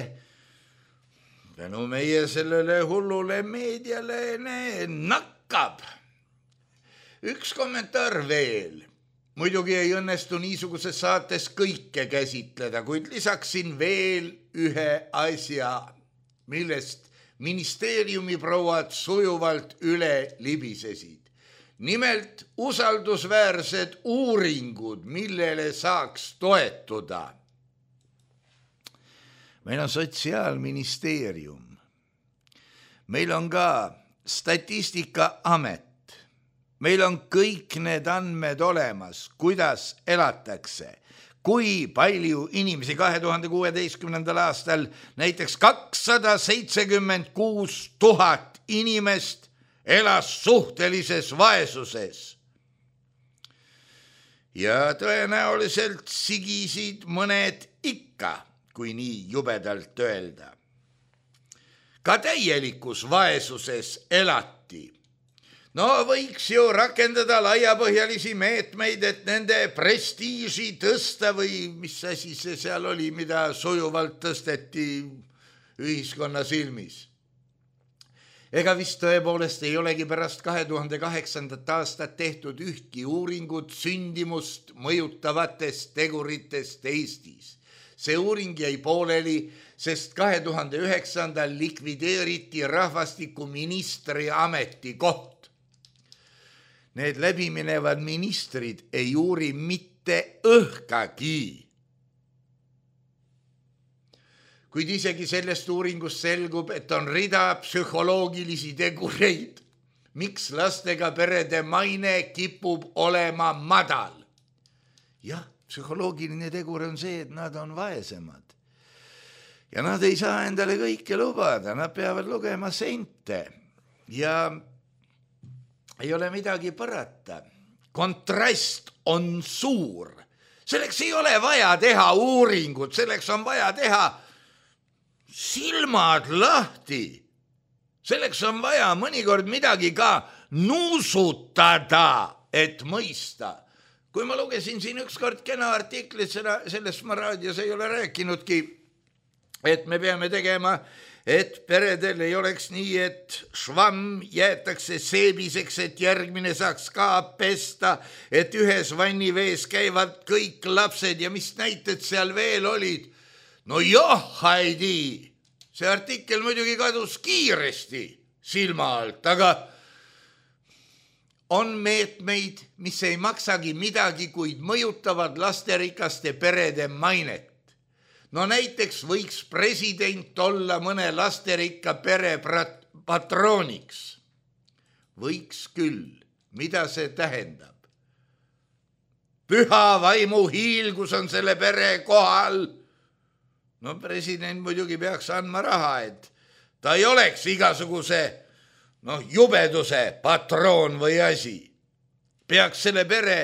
tänu meie sellele hullule meediale nakkab. Üks kommentaar veel. Muidugi ei õnnestu niisuguses saates kõike käsitleda, kuid lisaksin veel ühe asja, millest ministeeriumi prouad sujuvalt üle libisesid. Nimelt usaldusväärsed uuringud, millele saaks toetuda. Meil on Sotsiaalministeerium. Meil on ka Statistikaamet, meil on kõik need andmed olemas, kuidas elatakse. Kui palju inimesi kahe tuhande kuueteistkümnendal aastal näiteks kakssada seitsekümmend kuus tuhat inimest elas suhtelises vaesuses. Ja tõenäoliselt sigisid mõned ikka, kui nii jubedalt öelda. Ka täielikus vaesuses elati. No võiks ju rakendada laiapõhjalisi meetmeid, et nende prestiiži tõsta või mis asi see seal oli, mida sujuvalt tõsteti ühiskonna silmis. Ega vist tõepoolest ei olegi pärast kahe tuhande kaheksandat aastat tehtud ühtki uuringut sündimust mõjutavatest teguritest Eestis. See uuring jäi pooleli, sest kahe tuhande üheksandal likvideeriti rahvastikuministri ametikoht. Need läbiminevad ministrid ei uuri mitte õhkagi. Kuid isegi sellest uuringust selgub, et on rida psühholoogilisi tegureid, miks lastega perede maine kipub olema madal. Jah, psühholoogiline tegur on see, et nad on vaesemad. Ja nad ei saa endale kõike lubada, nad peavad lugema sente. Ja ei ole midagi parata. Kontrast on suur. Selleks ei ole vaja teha uuringut, selleks on vaja teha silmad lahti. Selleks on vaja mõnikord midagi ka nuusutada, et mõista. Kui ma lugesin siin ükskord kena artiklit, sellest ma raadios ei ole rääkinudki, et me peame tegema, et peredel ei oleks nii, et švamm jäetakse seebiseks, et järgmine saaks ka pesta, et ühes vannivees käivad kõik lapsed ja mis näited seal veel olid. No jah, Heidi, see artikkel muidugi kadus kiiresti silma alt, aga on meetmeid, mis ei maksagi midagi, kuid mõjutavad lasterikaste perede mainet. No näiteks võiks president olla mõne lasterikka pere patrooniks. Võiks küll. Mida see tähendab? Püha vaimu hiilgus on selle pere kohal. No president muidugi peaks andma raha, et ta ei oleks igasuguse no, jubeduse patroon või asi. Peaks selle pere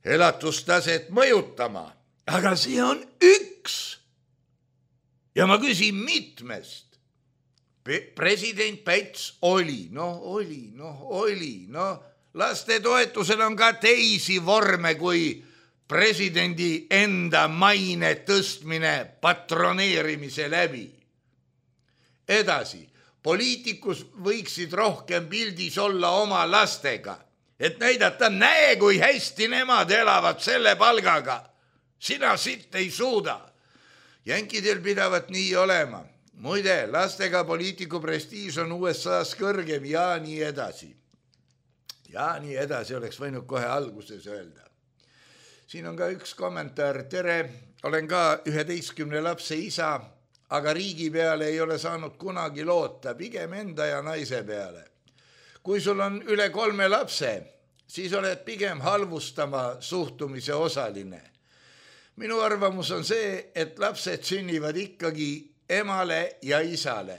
elatustaset mõjutama. Aga see on üks. Ja ma küsin mitmest. President Päts oli, noh oli, noh oli, noh lastetoetusel on ka teisi vorme kui presidendi enda maine tõstmine patroneerimise läbi. Edasi, poliitikus võiksid rohkem pildis olla oma lastega, et näidata, näe, kui hästi nemad elavad selle palgaga. Sina sitt ei suuda. Jänkidel pidavat nii olema. Muide, lastega poliitiku prestiiž on U S A-s kõrgem ja nii edasi. Ja nii edasi oleks võinud kohe alguses öelda. Siin on ka üks kommentaar. Tere, olen ka üheteistkümne lapse isa, aga riigi peale ei ole saanud kunagi loota, pigem enda ja naise peale. Kui sul on üle kolme lapse, siis oled pigem halvustama suhtumise osaline. Minu arvamus on see, et lapsed sünnivad ikkagi emale ja isale.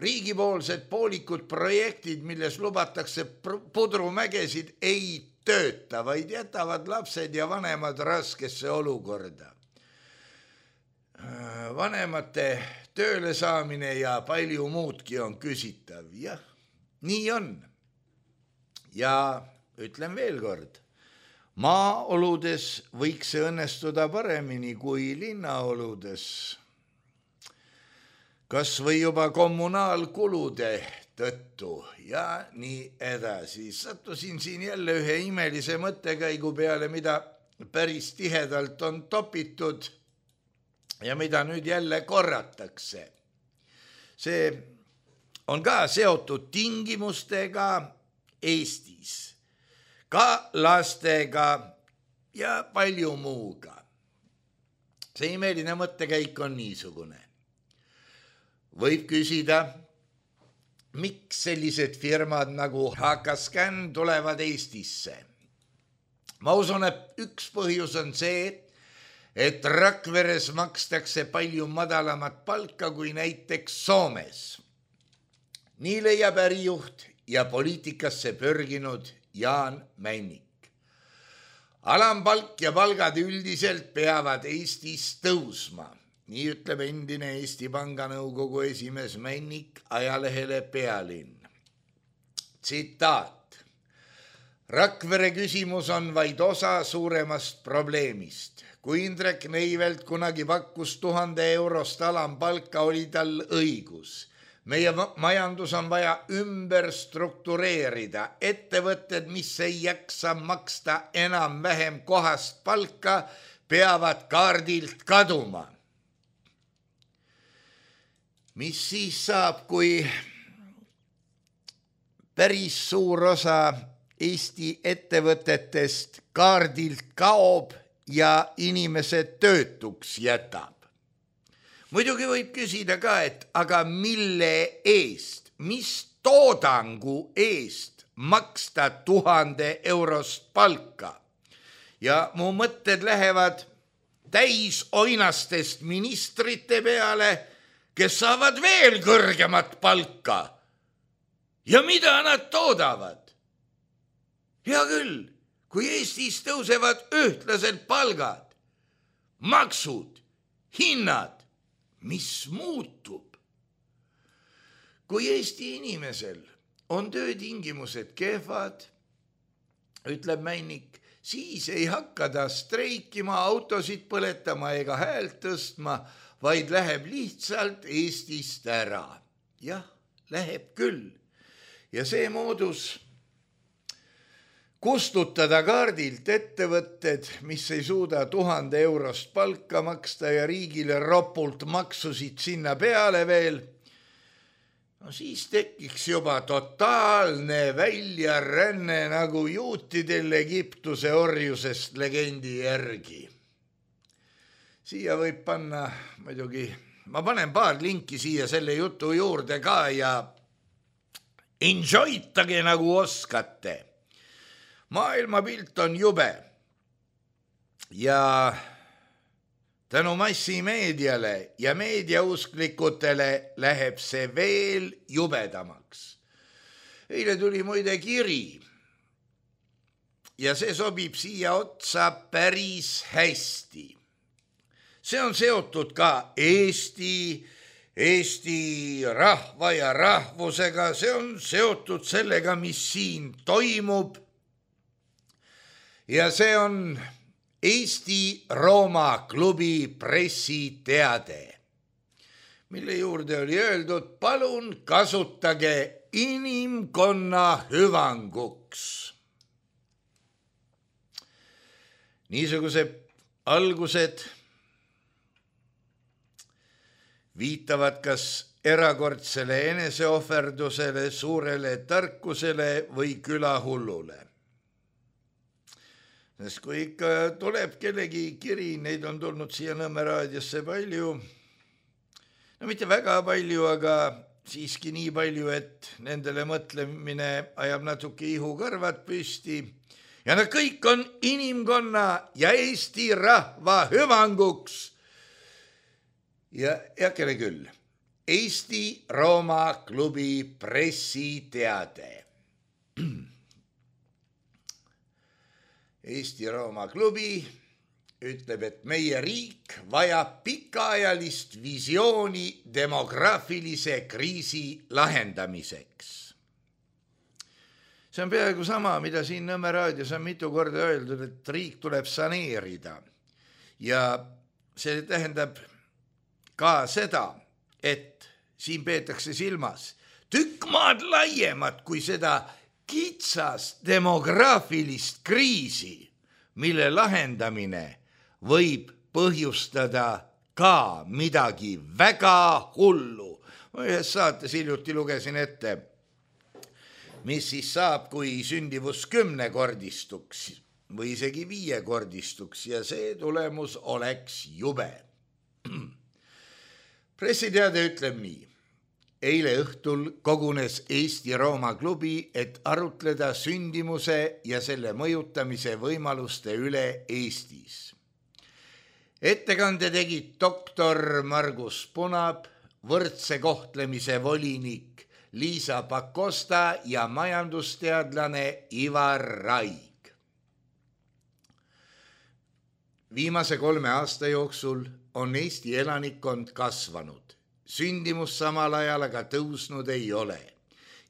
Riigipoolsed poolikud projektid, milles lubatakse pudrumägesid, ei tööta, vaid jätavad lapsed ja vanemad raskesse olukorda. Vanemate tööle saamine ja palju muudki on küsitav. Jah, nii on. Ja ütlen veel kord. Maaoludes võiks see õnnestuda paremini kui linnaoludes. Kas või juba kommunaalkulude tõttu ja nii edasi. Sattusin siin jälle ühe imelise mõttekäigu peale, mida päris tihedalt on topitud ja mida nüüd jälle korratakse. See on ka seotud tingimustega Eestis. Ka lastega ja palju muuga. See imeline mõttekäik on niisugune. Võib küsida, miks sellised firmad nagu H K Scan tulevad Eestisse. Ma usun, et üks põhjus on see, et Rakveres makstakse palju madalamat palka kui näiteks Soomes. Nii leiab ärijuht ja poliitikasse pörginud Jaan Männik. Alampalk ja palgad üldiselt peavad Eestis tõusma. Nii ütleb endine Eesti Panga Nõukogu esimees Männik ajalehele Pealinn. Tsitaat. Rakvere küsimus on vaid osa suuremast probleemist. Kui Indrek Neivelt kunagi pakkus tuhande eurost alampalka, oli tal õigus. Meie majandus on vaja ümber struktureerida. Ettevõtted, mis ei jaksa maksta enam vähem kohast palka, peavad kaardilt kaduma. Mis siis saab, kui päris suur osa Eesti ettevõtetest kaardilt kaob ja inimesed töötuks jätab? Muidugi võib küsida ka, et aga mille eest, mis toodangu eest maksta tuhande eurost palka? Ja mu mõtted lähevad täis oinastest ministrite peale, kes saavad veel kõrgemat palka. Ja mida nad toodavad? Hea küll, kui Eestis tõusevad ühtlaselt palgad, maksud, hinnad, mis muutub? Kui Eesti inimesel on töötingimused kehvad, ütleb Männik, siis ei hakka ta streikima, autosid põletama ega häält tõstma, vaid läheb lihtsalt Eestist ära. Jah, läheb küll. Ja see moodus kustutada kaardilt ettevõtted, mis ei suuda tuhande eurost palka maksta ja riigile ropult maksusid sinna peale veel, no siis tekiks juba totaalne väljaränne nagu juutidel Egiptuse orjusest legendi järgi. Siia võib panna muidugi, ma panen paar linki siia selle jutu juurde ka ja enjoytage nagu oskate. Maailmapilt on jube ja tänu massimeediale ja meediausklikutele läheb see veel jubedamaks. Eile tuli muide kiri ja see sobib siia otsa päris hästi. See on seotud ka Eesti, Eesti rahva ja rahvusega, see on seotud sellega, mis siin toimub. Ja see on Eesti Rooma klubi pressiteade, mille juurde oli öeldud, palun kasutage inimkonna hüvanguks. Niisugused algused viitavad kas erakordsele eneseohverdusele, suurele tarkusele või külahullule. Sest kui ikka tuleb kellegi kiri, neid on tulnud siia Nõmme raadiosse palju, no mitte väga palju, aga siiski nii palju, et nendele mõtlemine ajab natuke ihukarvad püsti. Ja nad kõik on inimkonna ja Eesti rahva hüvanguks. Ja heakene küll, Eesti Rooma klubi pressiteade. Eesti Rooma klubi ütleb, et meie riik vajab pikaajalist visiooni demograafilise kriisi lahendamiseks. See on peaaegu sama, mida siin Nõmme raadios on mitu korda öeldud, et riik tuleb saneerida. Ja see tähendab ka seda, et siin peetakse silmas tükk maad laiemat kui seda kitsast demograafilist kriisi, mille lahendamine võib põhjustada ka midagi väga hullu. Ma ühes saates hiljuti lugesin ette, mis siis saab, kui sündivus kümnekordistuks või isegi viiekordistuks ja see tulemus oleks jube. Pressiteade ütleb nii. eile õhtul kogunes Eesti-Rooma klubi, et arutleda sündimuse ja selle mõjutamise võimaluste üle Eestis. Ettekande tegid doktor Margus Punab, võrdse kohtlemise volinik Liisa Pakosta ja majandusteadlane Ivar Raig. Viimase kolme aasta jooksul on Eesti elanikkond kasvanud. Sündimus samal ajal aga tõusnud ei ole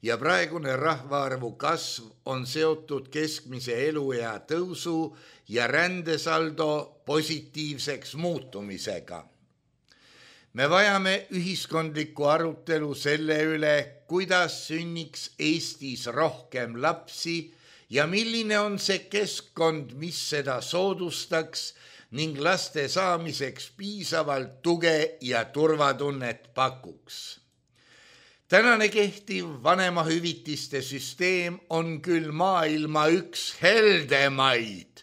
ja praegune rahvaarvu kasv on seotud keskmise eluea tõusu ja rändesaldo positiivseks muutumisega. Me vajame ühiskondlikku arutelu selle üle, kuidas sünniks Eestis rohkem lapsi ja milline on see keskkond, mis seda soodustaks ning laste saamiseks piisavalt tuge ja turvatunnet pakuks. Tänane kehtiv vanemahüvitiste süsteem on küll maailma üks heldemaid,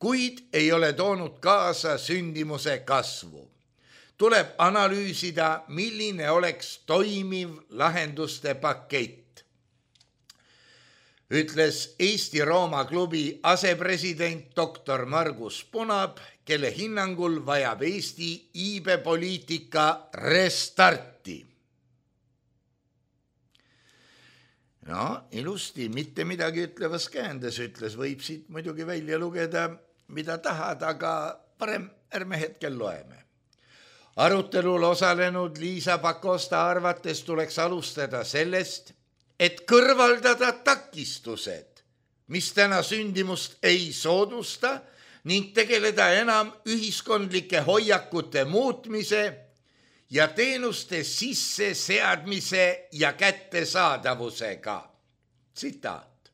kuid ei ole toonud kaasa sündimuse kasvu. Tuleb analüüsida, milline oleks toimiv lahenduste pakett, ütles Eesti-Rooma klubi asepresident doktor Margus Punab, kelle hinnangul vajab Eesti iibepoliitika restarti. No, ilusti, mitte midagi ütlevas käändes ütles, võib siit muidugi välja lugeda, mida tahad, aga parem ärme hetkel loeme. Arutelul osalenud Liisa Pakosta arvates tuleks alustada sellest, et kõrvaldada takistused, mis täna sündimust ei soodusta ning tegeleda enam ühiskondlike hoiakute muutmise ja teenuste sisseseadmise ja kättesaadavusega. Tsitaat.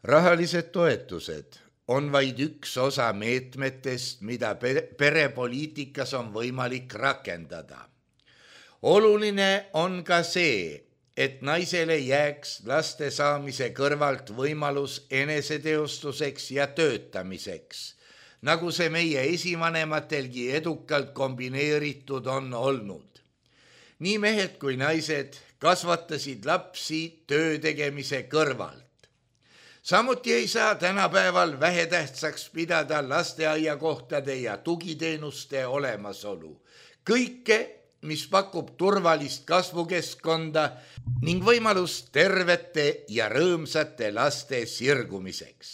Rahalised toetused on vaid üks osa meetmetest, mida perepoliitikas on võimalik rakendada. Oluline on ka see, et naisele jääks laste saamise kõrvalt võimalus eneseteostuseks ja töötamiseks, nagu see meie esivanematelgi edukalt kombineeritud on olnud. Nii mehed kui naised kasvatasid lapsi töö tegemise kõrvalt. Samuti ei saa tänapäeval vähetähtsaks pidada lasteaiakohtade ja tugiteenuste olemasolu. Kõike, mis pakub turvalist kasvukeskkonda ning võimalust tervete ja rõõmsate laste sirgumiseks.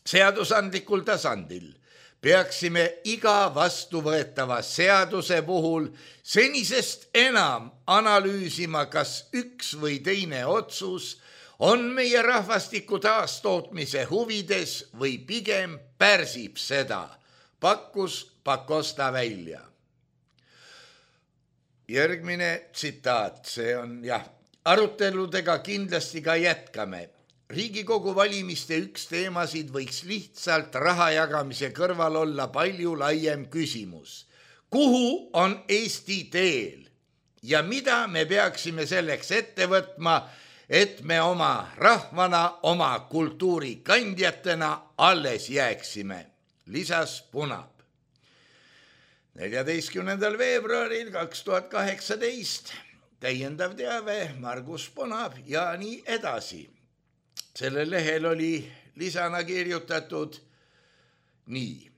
Seadusandlikul tasandil peaksime iga vastuvõetava seaduse puhul senisest enam analüüsima, kas üks või teine otsus on meie rahvastiku taastootmise huvides või pigem pärsib seda, pakkus Pakosta välja. Järgmine tsitaat, see on jah, aruteludega kindlasti ka jätkame. Riigikogu valimiste üks teemasid võiks lihtsalt raha jagamise kõrval olla palju laiem küsimus. Kuhu on Eesti teel ja mida me peaksime selleks ette võtma, et me oma rahvana, oma kultuuri kandjatena alles jääksime, lisas Punab. neljateistkümnendal veebruaril kaks tuhat kaheksateist täiendav teave Margus Punab ja nii edasi. Sellel lehel oli lisana kirjutatud nii.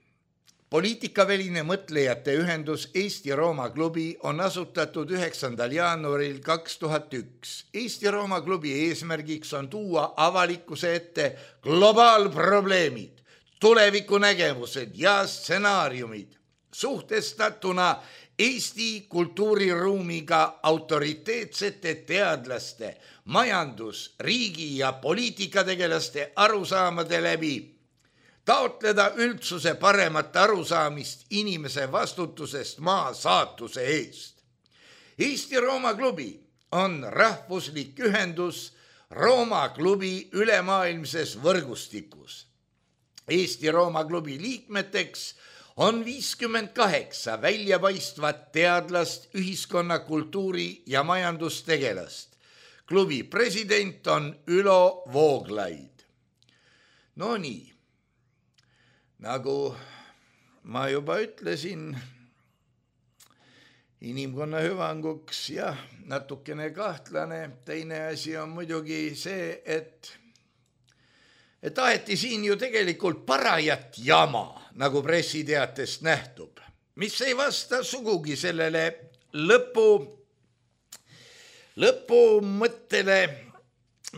Poliitikaväline mõtlejate ühendus Eesti-Rooma klubi on asutatud üheksandal jaanuaril kaks tuhat üks. Eesti-Rooma klubi eesmärgiks on tuua avalikkuse ette globaalprobleemid, tulevikunägemused ja stsenaariumid, suhtestatuna Eesti kultuuriruumiga autoriteetsete teadlaste, majandus-, riigi- ja poliitikategelaste arusaamade läbi, taotleda üldsuse paremat arusaamist inimese vastutusest maa saatuse eest. Eesti-Rooma klubi on rahvuslik ühendus Rooma klubi ülemaailmses võrgustikus. Eesti-Rooma klubi liikmeteks on viiskümmend kaheksa väljapaistvat teadlast, ühiskonna, kultuuri ja majandustegelast. Klubi president on Ülo Vooglaid. No nii, nagu ma juba ütlesin, inimkonna hüvanguks, jah, natukene kahtlane. Teine asi on muidugi see, et, et taheti siin ju tegelikult parajat jama, nagu pressiteatest nähtub, mis ei vasta sugugi sellele lõpu, lõpu mõttele,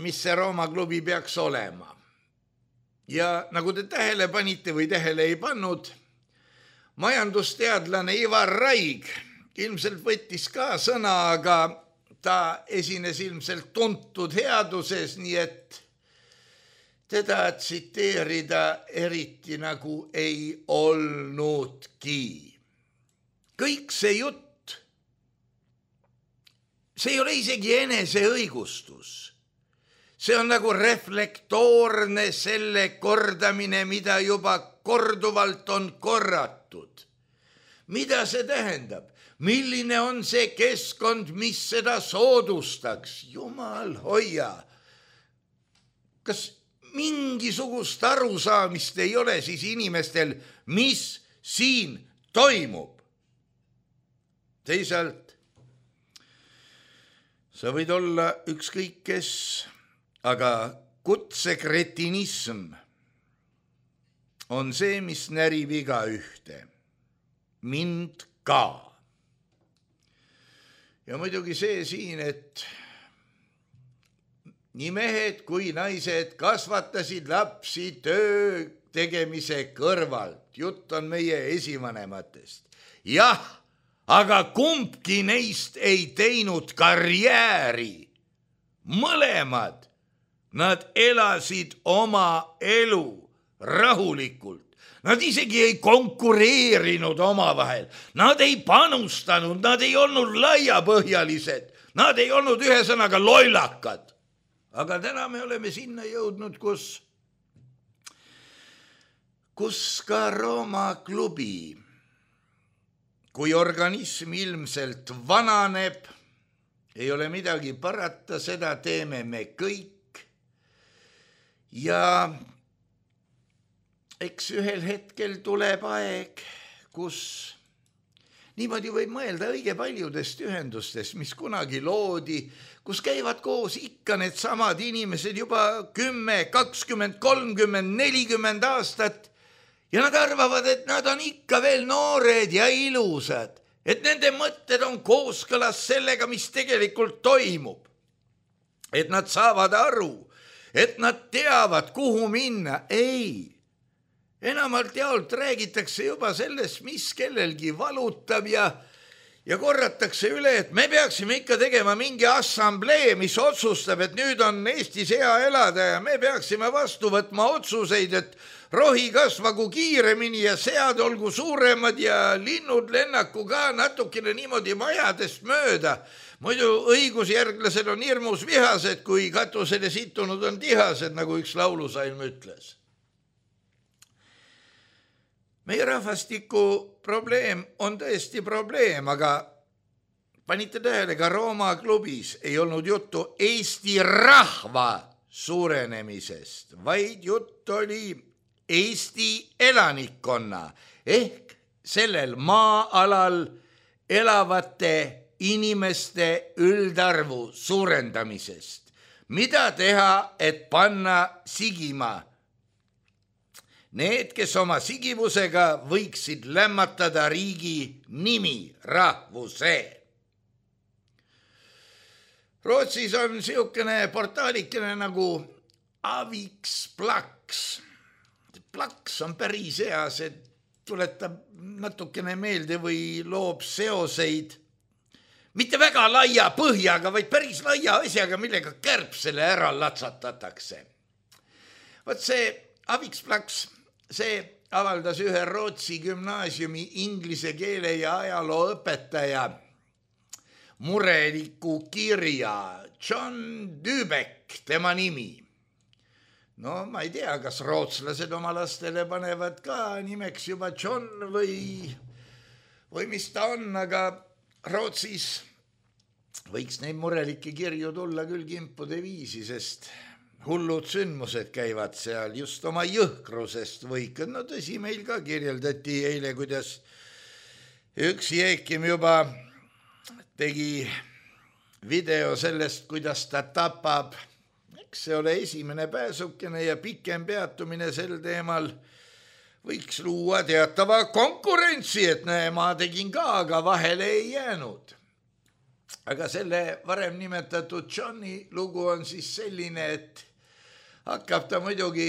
mis see Rooma klubi peaks olema. Ja nagu te tähele panite või tähele ei pannud, majandusteadlane Ivar Raig ilmselt võttis ka sõna, aga ta esines ilmselt tuntud headuses, nii et teda tsiteerida eriti nagu ei olnudki. Kõik see jutt, see ei ole isegi eneseõigustus. See on nagu reflektoorne selle kordamine, mida juba korduvalt on korratud. Mida see tähendab? Milline on see keskkond, mis seda soodustaks? Jumal hoia. Kas mingisugust arusaamist ei ole siis inimestel, mis siin toimub? Teisalt, sa võid olla ükskõik kes, aga kutsekretinism on see, mis närib iga ühte. Mind ka. Ja muidugi see siin, et nii mehed kui naised kasvatasid lapsi töö tegemise kõrvalt. Jutt on meie esivanematest. Jah, aga kumbki neist ei teinud karjääri. Mõlemad. Nad elasid oma elu rahulikult. Nad isegi ei konkureerinud oma vahel. Nad ei panustanud, nad ei olnud laiapõhjalised. Nad ei olnud ühesõnaga lollakad. Aga täna me oleme sinna jõudnud, kus, kus ka Rooma klubi, kui organism ilmselt vananeb, ei ole midagi parata, seda teeme me kõik. Ja eks ühel hetkel tuleb aeg, kus niimoodi võib mõelda õige paljudest ühendustest, mis kunagi loodi, kus käivad koos ikka need samad inimesed juba kümme, kakskümmend, kolmkümmend, nelikümmend aastat ja nad arvavad, et nad on ikka veel noored ja ilusad, et nende mõtted on kooskõlas sellega, mis tegelikult toimub, et nad saavad aru, et nad teavad, kuhu minna. Ei, enamalt jaolt räägitakse juba sellest, mis kellelgi valutab ja, ja korratakse üle, et me peaksime ikka tegema mingi assamblee, mis otsustab, et nüüd on Eestis hea elada ja me peaksime vastu võtma otsuseid, et rohi kasvagu kiiremini ja sead olgu suuremad ja linnud lennaku ka natukene niimoodi majadest mööda. Muidu õigusjärglased on hirmus vihased, kui katusele situnud on tihased, nagu üks laulusalm ütles. Meie rahvastiku probleem on tõesti probleem, aga panite tähele, ka Rooma klubis ei olnud juttu Eesti rahva suurenemisest, vaid jutt oli Eesti elanikkonna ehk sellel maa-alal elavate inimeste üldarvu suurendamisest. Mida teha, et panna sigima? Need, kes oma sigivusega võiksid lämmatada riigi nimi, rahvuse. Rootsis on siukene portaalikene nagu Aviks Plaks. Plaks on päris hea, see tuletab natukene meelde või loob seoseid mitte väga laia põhjaga, vaid päris laia asjaga, millega kärbsele ära latsatatakse. Võt see Aviks Plaks, see avaldas ühe Rootsi gümnaasiumi inglise keele ja ajaloo õpetaja mureliku kirja. John Dübeck, tema nimi. No ma ei tea, kas rootslased oma lastele panevad ka nimeks juba John või, või mis ta on, aga Rootsis võiks neid murelikke kirju tulla küll kimpude viisi, sest hullud sündmused käivad seal just oma jõhkrusest võikad. No tõsi, meil ka kirjeldati eile, kuidas üks Jeekim juba tegi video sellest, kuidas ta tapab. Eks see ole esimene pääsukene ja pikem peatumine sel teemal võiks luua teatava konkurentsi, et näe, ma tegin ka, aga vahele ei jäänud. Aga selle varem nimetatud Johni lugu on siis selline, et hakkab ta muidugi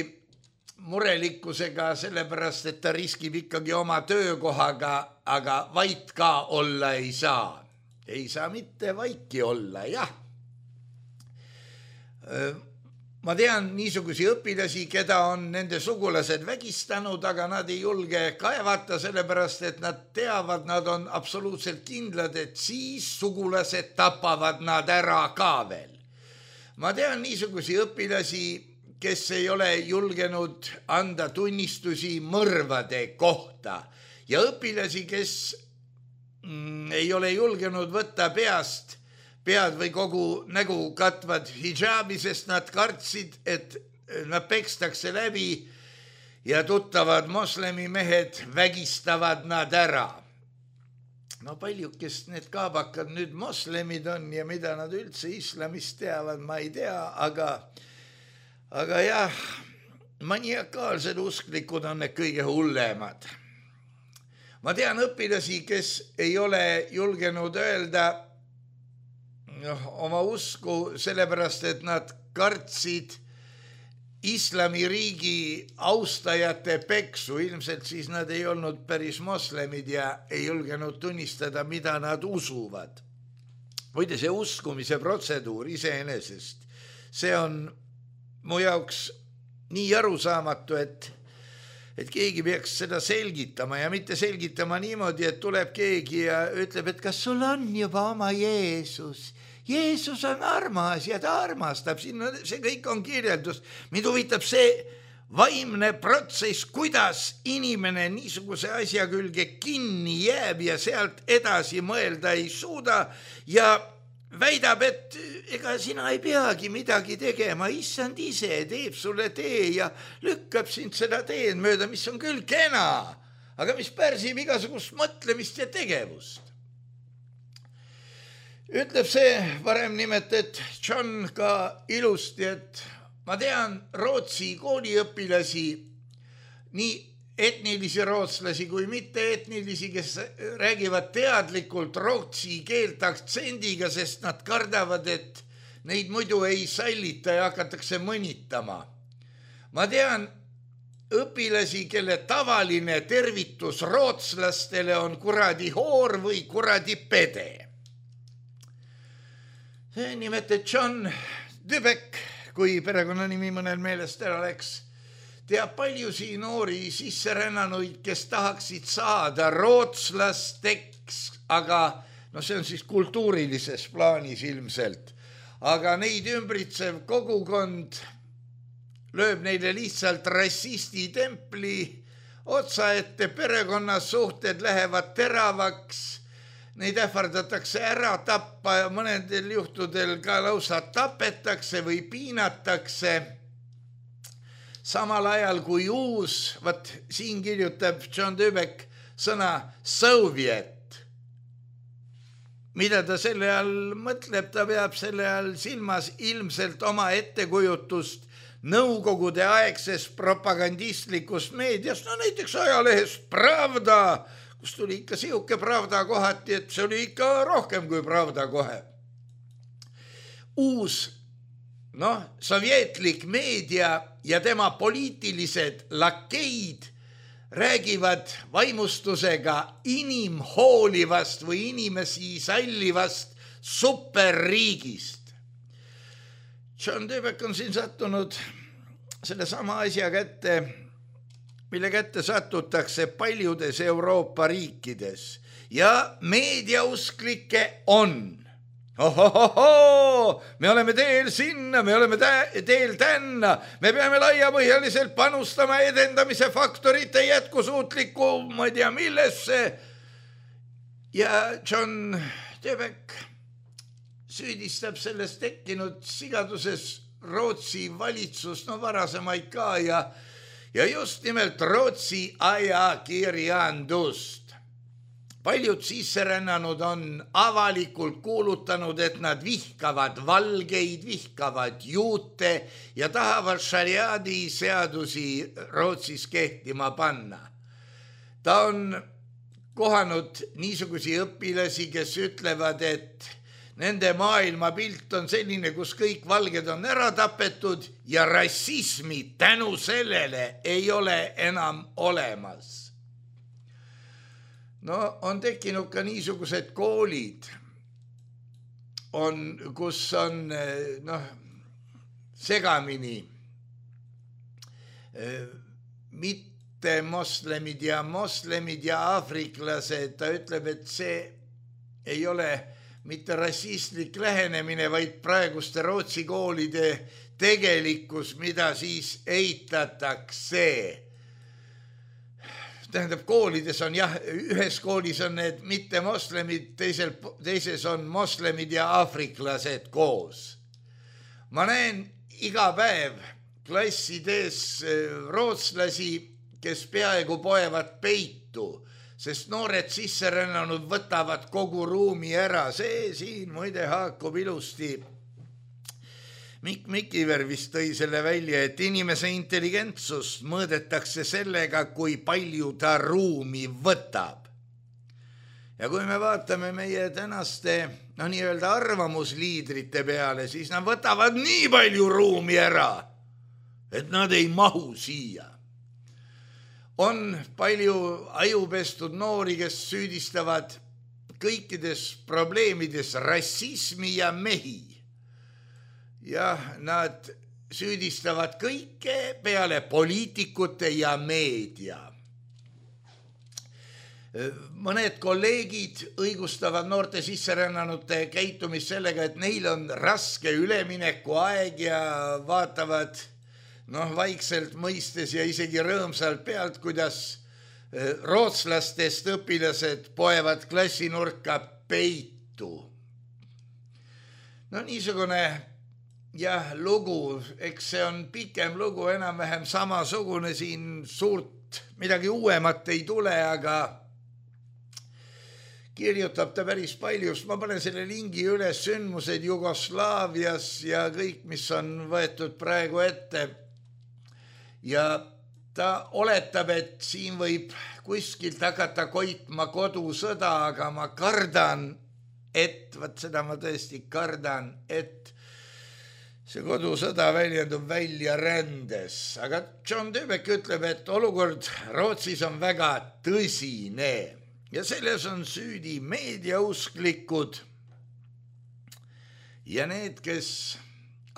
murelikkusega sellepärast, et ta riskib ikkagi oma töökohaga, aga vait ka olla ei saa. Ei saa mitte vaiki olla, jah. Ma tean niisugusi õpilasi, keda on nende sugulased vägistanud, aga nad ei julge kaevata sellepärast, et nad teavad, nad on absoluutselt kindlad, et siis sugulased tapavad nad ära ka veel. Ma tean niisugusi õpilasi, kes ei ole julgenud anda tunnistusi mõrvade kohta ja õpilasi, kes mm, ei ole julgenud võtta peast pead või kogu nägu katvad hijaabi, sest nad kartsid, et nad pekstakse läbi ja tuttavad moslemi mehed vägistavad nad ära. No paljukest need kaabakad nüüd moslemid on ja mida nad üldse islamist teavad, ma ei tea, aga, aga jah, maniakaalsed usklikud on need kõige hullemad. Ma tean õpilasi, kes ei ole julgenud öelda oma usku sellepärast, et nad kartsid islamiriigi austajate peksu. Ilmselt siis nad ei olnud päris moslemid ja ei julgenud tunnistada, mida nad usuvad. Muide, see uskumise protseduur iseenesest, see on mu jaoks nii arusaamatu, et et keegi peaks seda selgitama ja mitte selgitama niimoodi, et tuleb keegi ja ütleb, et kas sul on juba oma Jeesus. Jeesus on armas ja ta armastab. Siin see kõik on kirjeldus. Mind huvitab see vaimne protsess, kuidas inimene niisuguse asja külge kinni jääb ja sealt edasi mõelda ei suuda ja väidab, et ega sina ei peagi midagi tegema, issand ise teeb sulle tee ja lükkab sind seda teed mööda, mis on küll kena, aga mis pärsib igasugust mõtlemist ja tegevust. Ütleb see varem nimetet John ka ilusti, et ma tean Rootsi kooliõpilasi, nii etnilisi rootslasi kui mitte etnilisi, kes räägivad teadlikult rootsi keelt aktsendiga, sest nad kardavad, et neid muidu ei sallita ja hakatakse mõnitama. Ma tean õpilasi, kelle tavaline tervitus rootslastele on kuradi hoor või kuradi pede. See nimetet John Dubek, kui perekonnanimi mõnel meelest ära läks, teab paljusi noori sisserännanuid, kes tahaksid saada rootslasteks, aga no see on siis kultuurilises plaanis ilmselt. Aga neid ümbritsev kogukond lööb neile lihtsalt rassisti templi otsa ette, perekonnasuhted lähevad teravaks, neid ähvardatakse ära tappa ja mõnedel juhtudel ka lausa tapetakse või piinatakse. Samal ajal kui uus, vaat siin kirjutab John Dubek sõna Soviet. Mida ta selle all mõtleb, ta peab selle all silmas ilmselt oma ettekujutust nõukogude aegses propagandistlikus meedias, no näiteks ajalehes Pravda, kus tuli ikka siuke Pravda kohati, et see oli ikka rohkem kui Pravda kohe. Uus, noh, sovjetlik meedia ja tema poliitilised lakeid räägivad vaimustusega inimhoolivast või inimesi sallivast superriigist. John Dubek on siin sattunud selle sama asja kätte, mille kätte satutakse paljudes Euroopa riikides ja meediausklikke on. Ohohoho, me oleme teel sinna, me oleme teel tänna, me peame laiapõhjaliselt panustama edendamise faktorite jätkusuutliku, ma ei tea millesse. Ja John Dubek süüdistab sellest tekkinud sigaduses Rootsi valitsus, no varasemaid ka ja ja just nimelt Rootsi ajakirjandust. paljud sisserännanud on avalikult kuulutanud, et nad vihkavad valgeid, vihkavad juute ja tahavad šariaadi seadusi Rootsis kehtima panna. Ta on kohanud niisugusi õpilasi, kes ütlevad, et nende maailmapilt on selline, kus kõik valged on ära tapetud ja rassismi tänu sellele ei ole enam olemas. No on tekkinud ka niisugused koolid, on, kus on noh, segamini mitte moslemid ja moslemid ja aafriklased. Ta ütleb, et see ei ole mitte rassistlik lähenemine, vaid praeguste Rootsi koolide tegelikkus, mida siis eitatakse. Tähendab, koolides on jah, ühes koolis on need mitte moslemid, teisel, teises on moslemid ja aafriklased koos. Ma näen iga päev klassides rootslasi, kes peaaegu poevad peitu, sest noored sisserännanud võtavad kogu ruumi ära. See siin muide haakub ilusti. Mikk Mikiver vist tõi selle välja, et inimese intelligentsust mõõdetakse sellega, kui palju ta ruumi võtab. Ja kui me vaatame meie tänaste no, nii-öelda arvamusliidrite peale, siis nad võtavad nii palju ruumi ära, et nad ei mahu siia. On palju ajupestud noori, kes süüdistavad kõikides probleemides rassismi ja mehi. Ja nad süüdistavad kõike peale poliitikute ja meedia. Mõned kolleegid õigustavad noorte sisserännanute käitumist sellega, et neil on raske üleminekuaeg ja vaatavad noh, vaikselt mõistes ja isegi rõõmsalt pealt, kuidas rootslastest õpilased poevad klassinurka peitu. No niisugune jah, lugu, eks see on pikem lugu, enam-vähem samasugune, siin suurt midagi uuemat ei tule, aga kirjutab ta päris palju. Ma panen selle lingi üles, sündmused Jugoslaavias ja kõik, mis on võetud praegu ette. Ja ta oletab, et siin võib kuskilt hakata koitma kodusõda, aga ma kardan, et, võt seda ma tõesti kardan, et see kodusõda väljendub välja rändes. Aga John Döbek ütleb, et olukord Rootsis on väga tõsine ja selles on süüdi meediausklikud ja need, kes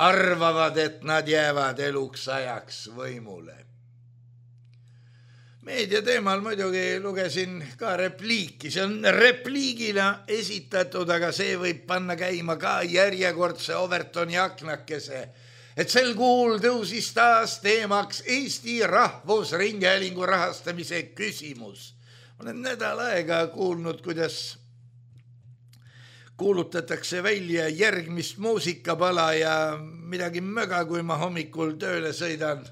arvavad, et nad jäävad eluks ajaks võimule. Meedia teemal muidugi lugesin ka repliiki, see on repliigina esitatud, aga see võib panna käima ka järjekordse Overtoni aknakese, et sel kuul tõusis taas teemaks Eesti Rahvusringhäälingu rahastamise küsimus. Olen nädal aega kuulnud, kuidas kuulutatakse välja järgmist muusikapala ja midagi möga, kui ma hommikul tööle sõidan.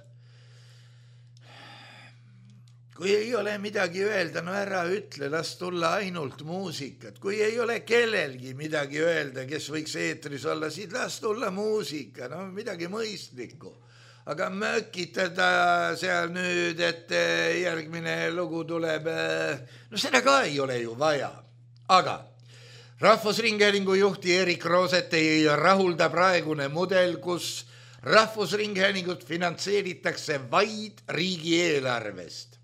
Kui ei ole midagi öelda, no ära ütle, las tulla ainult muusikat. Kui ei ole kellelgi midagi öelda, kes võiks eetris olla, siis las tulla muusika, no midagi mõistlikku. Aga mökitada seal nüüd, et järgmine lugu tuleb, no seda ka ei ole ju vaja. Aga Rahvusringhäälingu juhti Erik Rooset ei rahulda praegune mudel, kus Rahvusringhäälingut finantseeritakse vaid riigieelarvest.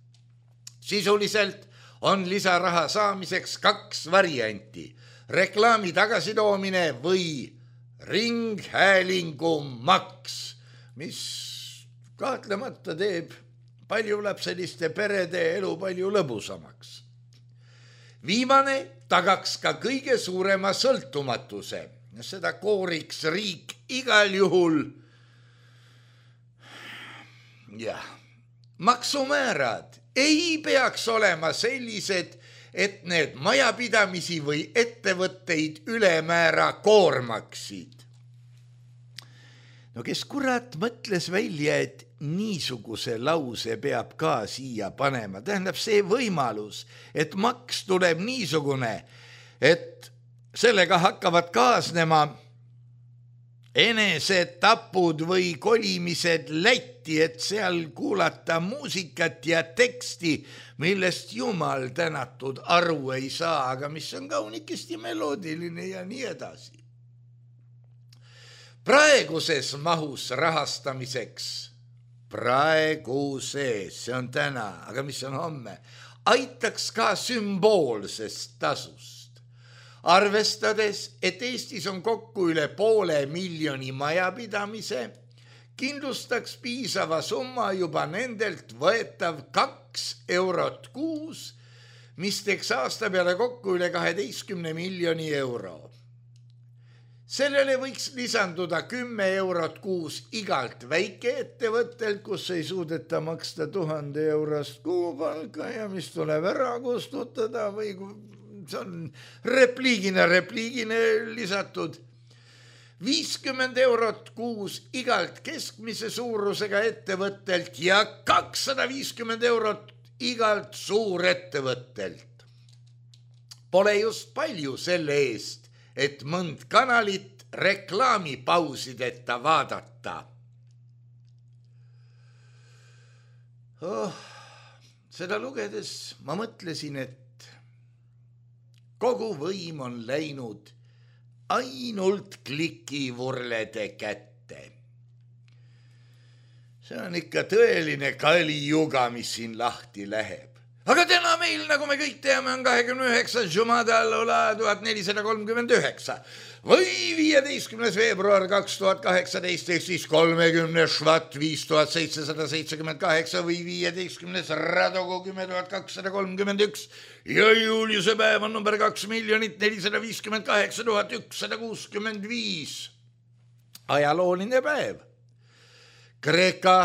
Sisuliselt on lisaraha saamiseks kaks varianti, reklaami tagasitoomine või ringhäälingu maks, mis kahtlemata teeb paljulapseliste perede elu palju lõbusamaks. Viimane tagaks ka kõige suurema sõltumatuse, seda kooriks riik igal juhul. Jah, maksumäärad ei peaks olema sellised, et need majapidamisi või ettevõtteid ülemäära koormaksid. no kes kurat mõtles välja, et niisuguse lause peab ka siia panema. Tähendab see võimalus, et maks tuleb niisugune, et sellega hakkavad kaasnema enesetapud või kolimised Lätti, et seal kuulata muusikat ja teksti, millest jumal tänatud aru ei saa, aga mis on kaunikesti meloodiline ja nii edasi. Praeguses mahus rahastamiseks, praeguses, see on täna, aga mis on homme, aitaks ka sümboolsest tasust. Arvestades, et Eestis on kokku üle poole miljoni majapidamise, kindlustaks piisava summa juba nendelt võetav kaks eurot kuus, mis teeks aasta peale kokku üle kaheteistkümne miljoni euro. Sellele võiks lisanduda kümme eurot kuus igalt väikeettevõttelt, kus ei suudeta maksta tuhande eurost kuupalka ja mis tuleb ära kustutada või see on repliigina, repliigina lisatud. viiskümmend eurot kuus igalt keskmise suurusega ettevõttelt ja kakssada viiskümmend eurot igalt suurettevõttelt. Pole just palju selle eest, et mõnd kanalit reklaamipausideta vaadata. Oh, seda lugedes ma mõtlesin, et kogu võim on läinud ainult klikivurlede kätte. See on ikka tõeline kalijuga, mis siin lahti läheb. Aga täna meil, nagu me kõik teame, on kahekümne üheksas Jumada al-Ula tuhat nelisada kolmkümmend üheksa või viieteistkümnes veebruar kaks tuhat kaheksateist, ehk siis kolmekümne švat viis tuhat seitsesada seitsekümmend kaheksa või viieteistkümnes Radogu kümme tuhat kakssada kolmkümmend üks ja juuliuse päev on number kaks miljonit nelisada viiskümmend kaheksa tuhat ükssada kuuskümmend viis. Ajalooline päev. Kreeka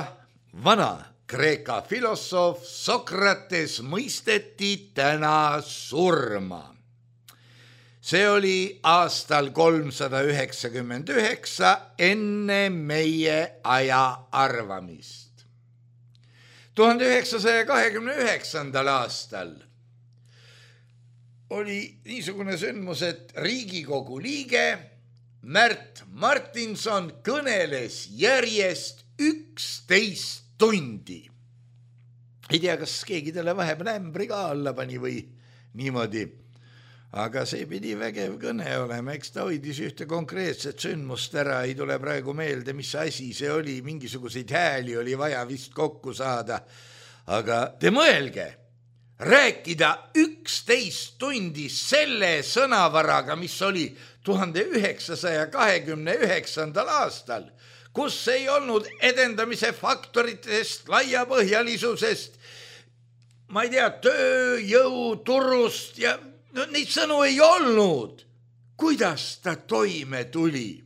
vana Kreeka filosoof Sokrates mõisteti täna surma. See oli aastal kolmsada üheksakümmend üheksa enne meie aja arvamist. tuhande üheksasaja kahekümne üheksandal aastal oli niisugune sündmus, et Riigikogu liige Märt Martinson kõneles järjest üksteist tundi. Ei tea, kas keegi talle vahepeal ämbri ka alla pani või niimoodi, aga see pidi vägev kõne olema, eks ta hoidis ühte konkreetset sündmust ära, ei tule praegu meelde, mis asi see oli, mingisuguseid hääli oli vaja vist kokku saada, aga te mõelge, rääkida üksteist tundi selle sõnavaraga, mis oli tuhande üheksasaja kahekümne üheksandal aastal, kus ei olnud edendamise faktoritest, laiapõhjalisusest, ma ei tea, tööjõu turust ja no, neid sõnu ei olnud. Kuidas ta toime tuli?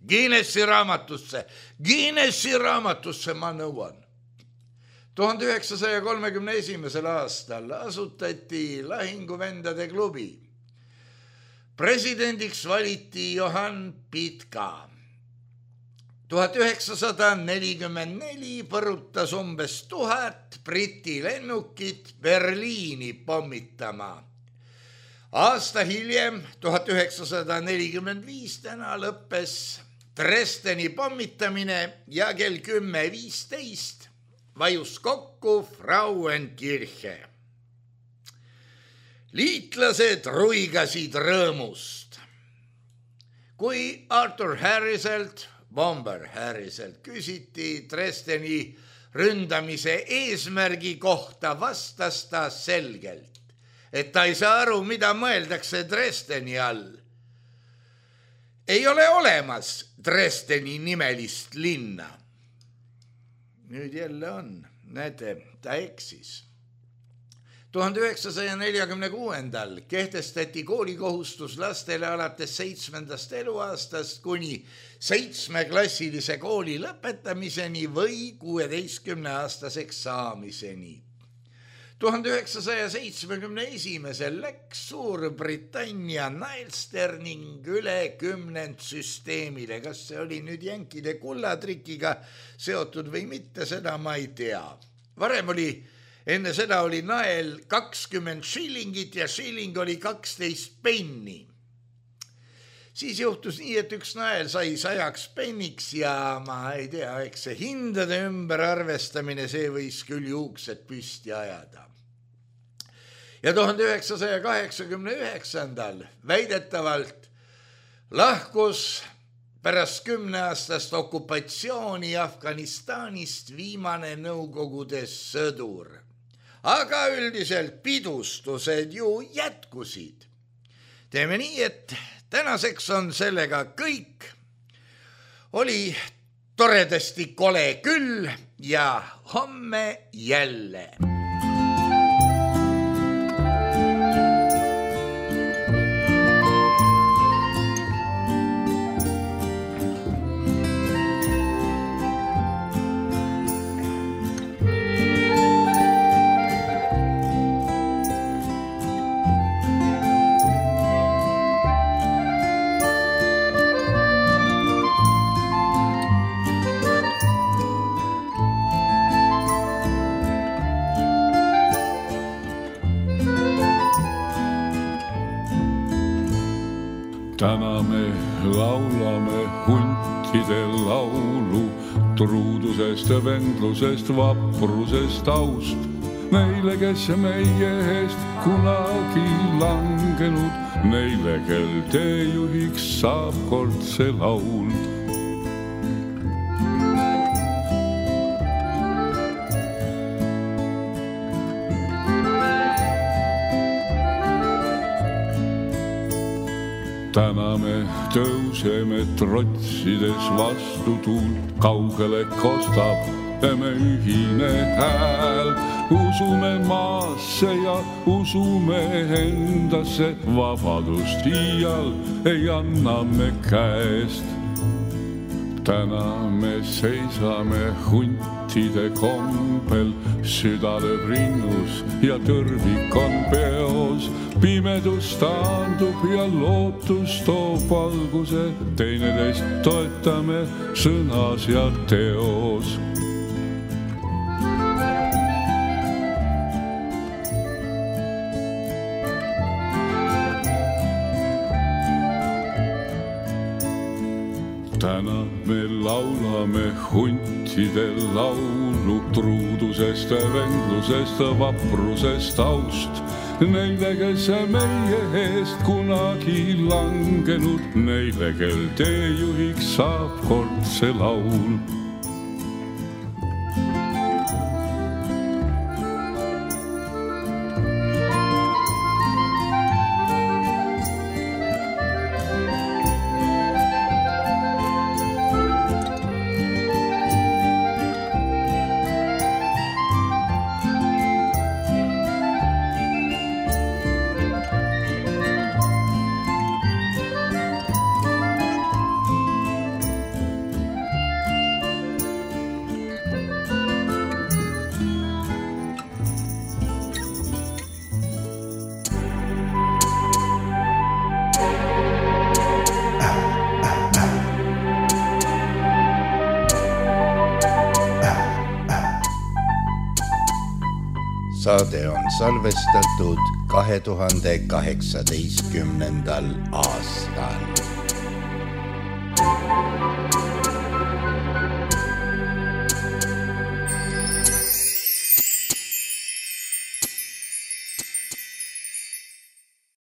Guinessi raamatusse, Guinessi raamatusse ma nõuan. tuhande üheksasaja kolmekümne esimesel aastal asutati Lahinguvendade klubi. Presidendiks valiti Johann Pitka. tuhat üheksasada nelikümmend neli põrutas umbes tuhat Briti lennukit Berliini pommitama. Aasta hiljem, tuhat üheksasada nelikümmend viis täna lõppes Dresdeni pommitamine ja kell kümme viisteist vajus kokku Frauenkirche. Liitlased ruigasid rõõmust. Kui Arthur Harriselt Bomber Harriselt küsiti Dresdeni ründamise eesmärgi kohta, vastas ta selgelt, et ta ei saa aru, mida mõeldakse Dresdeni all. Ei ole olemas Dresdeni nimelist linna. Nüüd jälle on, näete, ta eksis. tuhande üheksasaja neljakümne kuuendal kehtestati koolikohustus lastele alates seitsmendast eluaastast kuni seitsmeklassilise kooli lõpetamiseni või kuueteistkümneaastaseks saamiseni. tuhande üheksasaja seitsmekümne esimesel läks Suurbritannia Nailster ning üle kümnend süsteemile. Kas see oli nüüd jänkide kullatrikiga seotud või mitte, seda ma ei tea. Varem oli, enne seda oli nael kakskümmend shillingit ja shilling oli kaksteist penni. Siis juhtus nii, et üks nael sai sajaks penniks ja ma ei tea, eks see hindade ümber arvestamine, see võis küll juuksed püsti ajada. Ja tuhande üheksasaja kaheksakümne üheksandal väidetavalt lahkus pärast kümneaastast okupatsiooni Afganistanist viimane Nõukogude sõdur. Aga üldiselt pidustused ju jätkusid. Teeme nii, et tänaseks on sellega kõik. Oli toredasti kole küll ja homme jälle. Täna me laulame huntide laulu truudusest ja vendlusest, vaprusest, aust. Neile, kes meie eest kunagi langenud, neile, kel teejuhiks saab kord see laul. Täna me tõuseme trotsides vastu tuult, kaugele kostab me ühine hääl. Usume maasse ja usume endasse, vabadust iial ei anna me käest. Täna me seisame huntide kombel, süda lööb rinnus ja tõrvik on peos. Pimedus taandub ja lootus toob valguse, teineteist toetame sõnas ja teos. Täna me laulame huntide laulu truudusest, vendlusest, vaprusest, aust. Neile, kes meie eest kunagi langenud, neile, kel teejuhiks saab kord see laul. Saade on salvestatud kahe tuhande kaheksateistkümnendal aastal.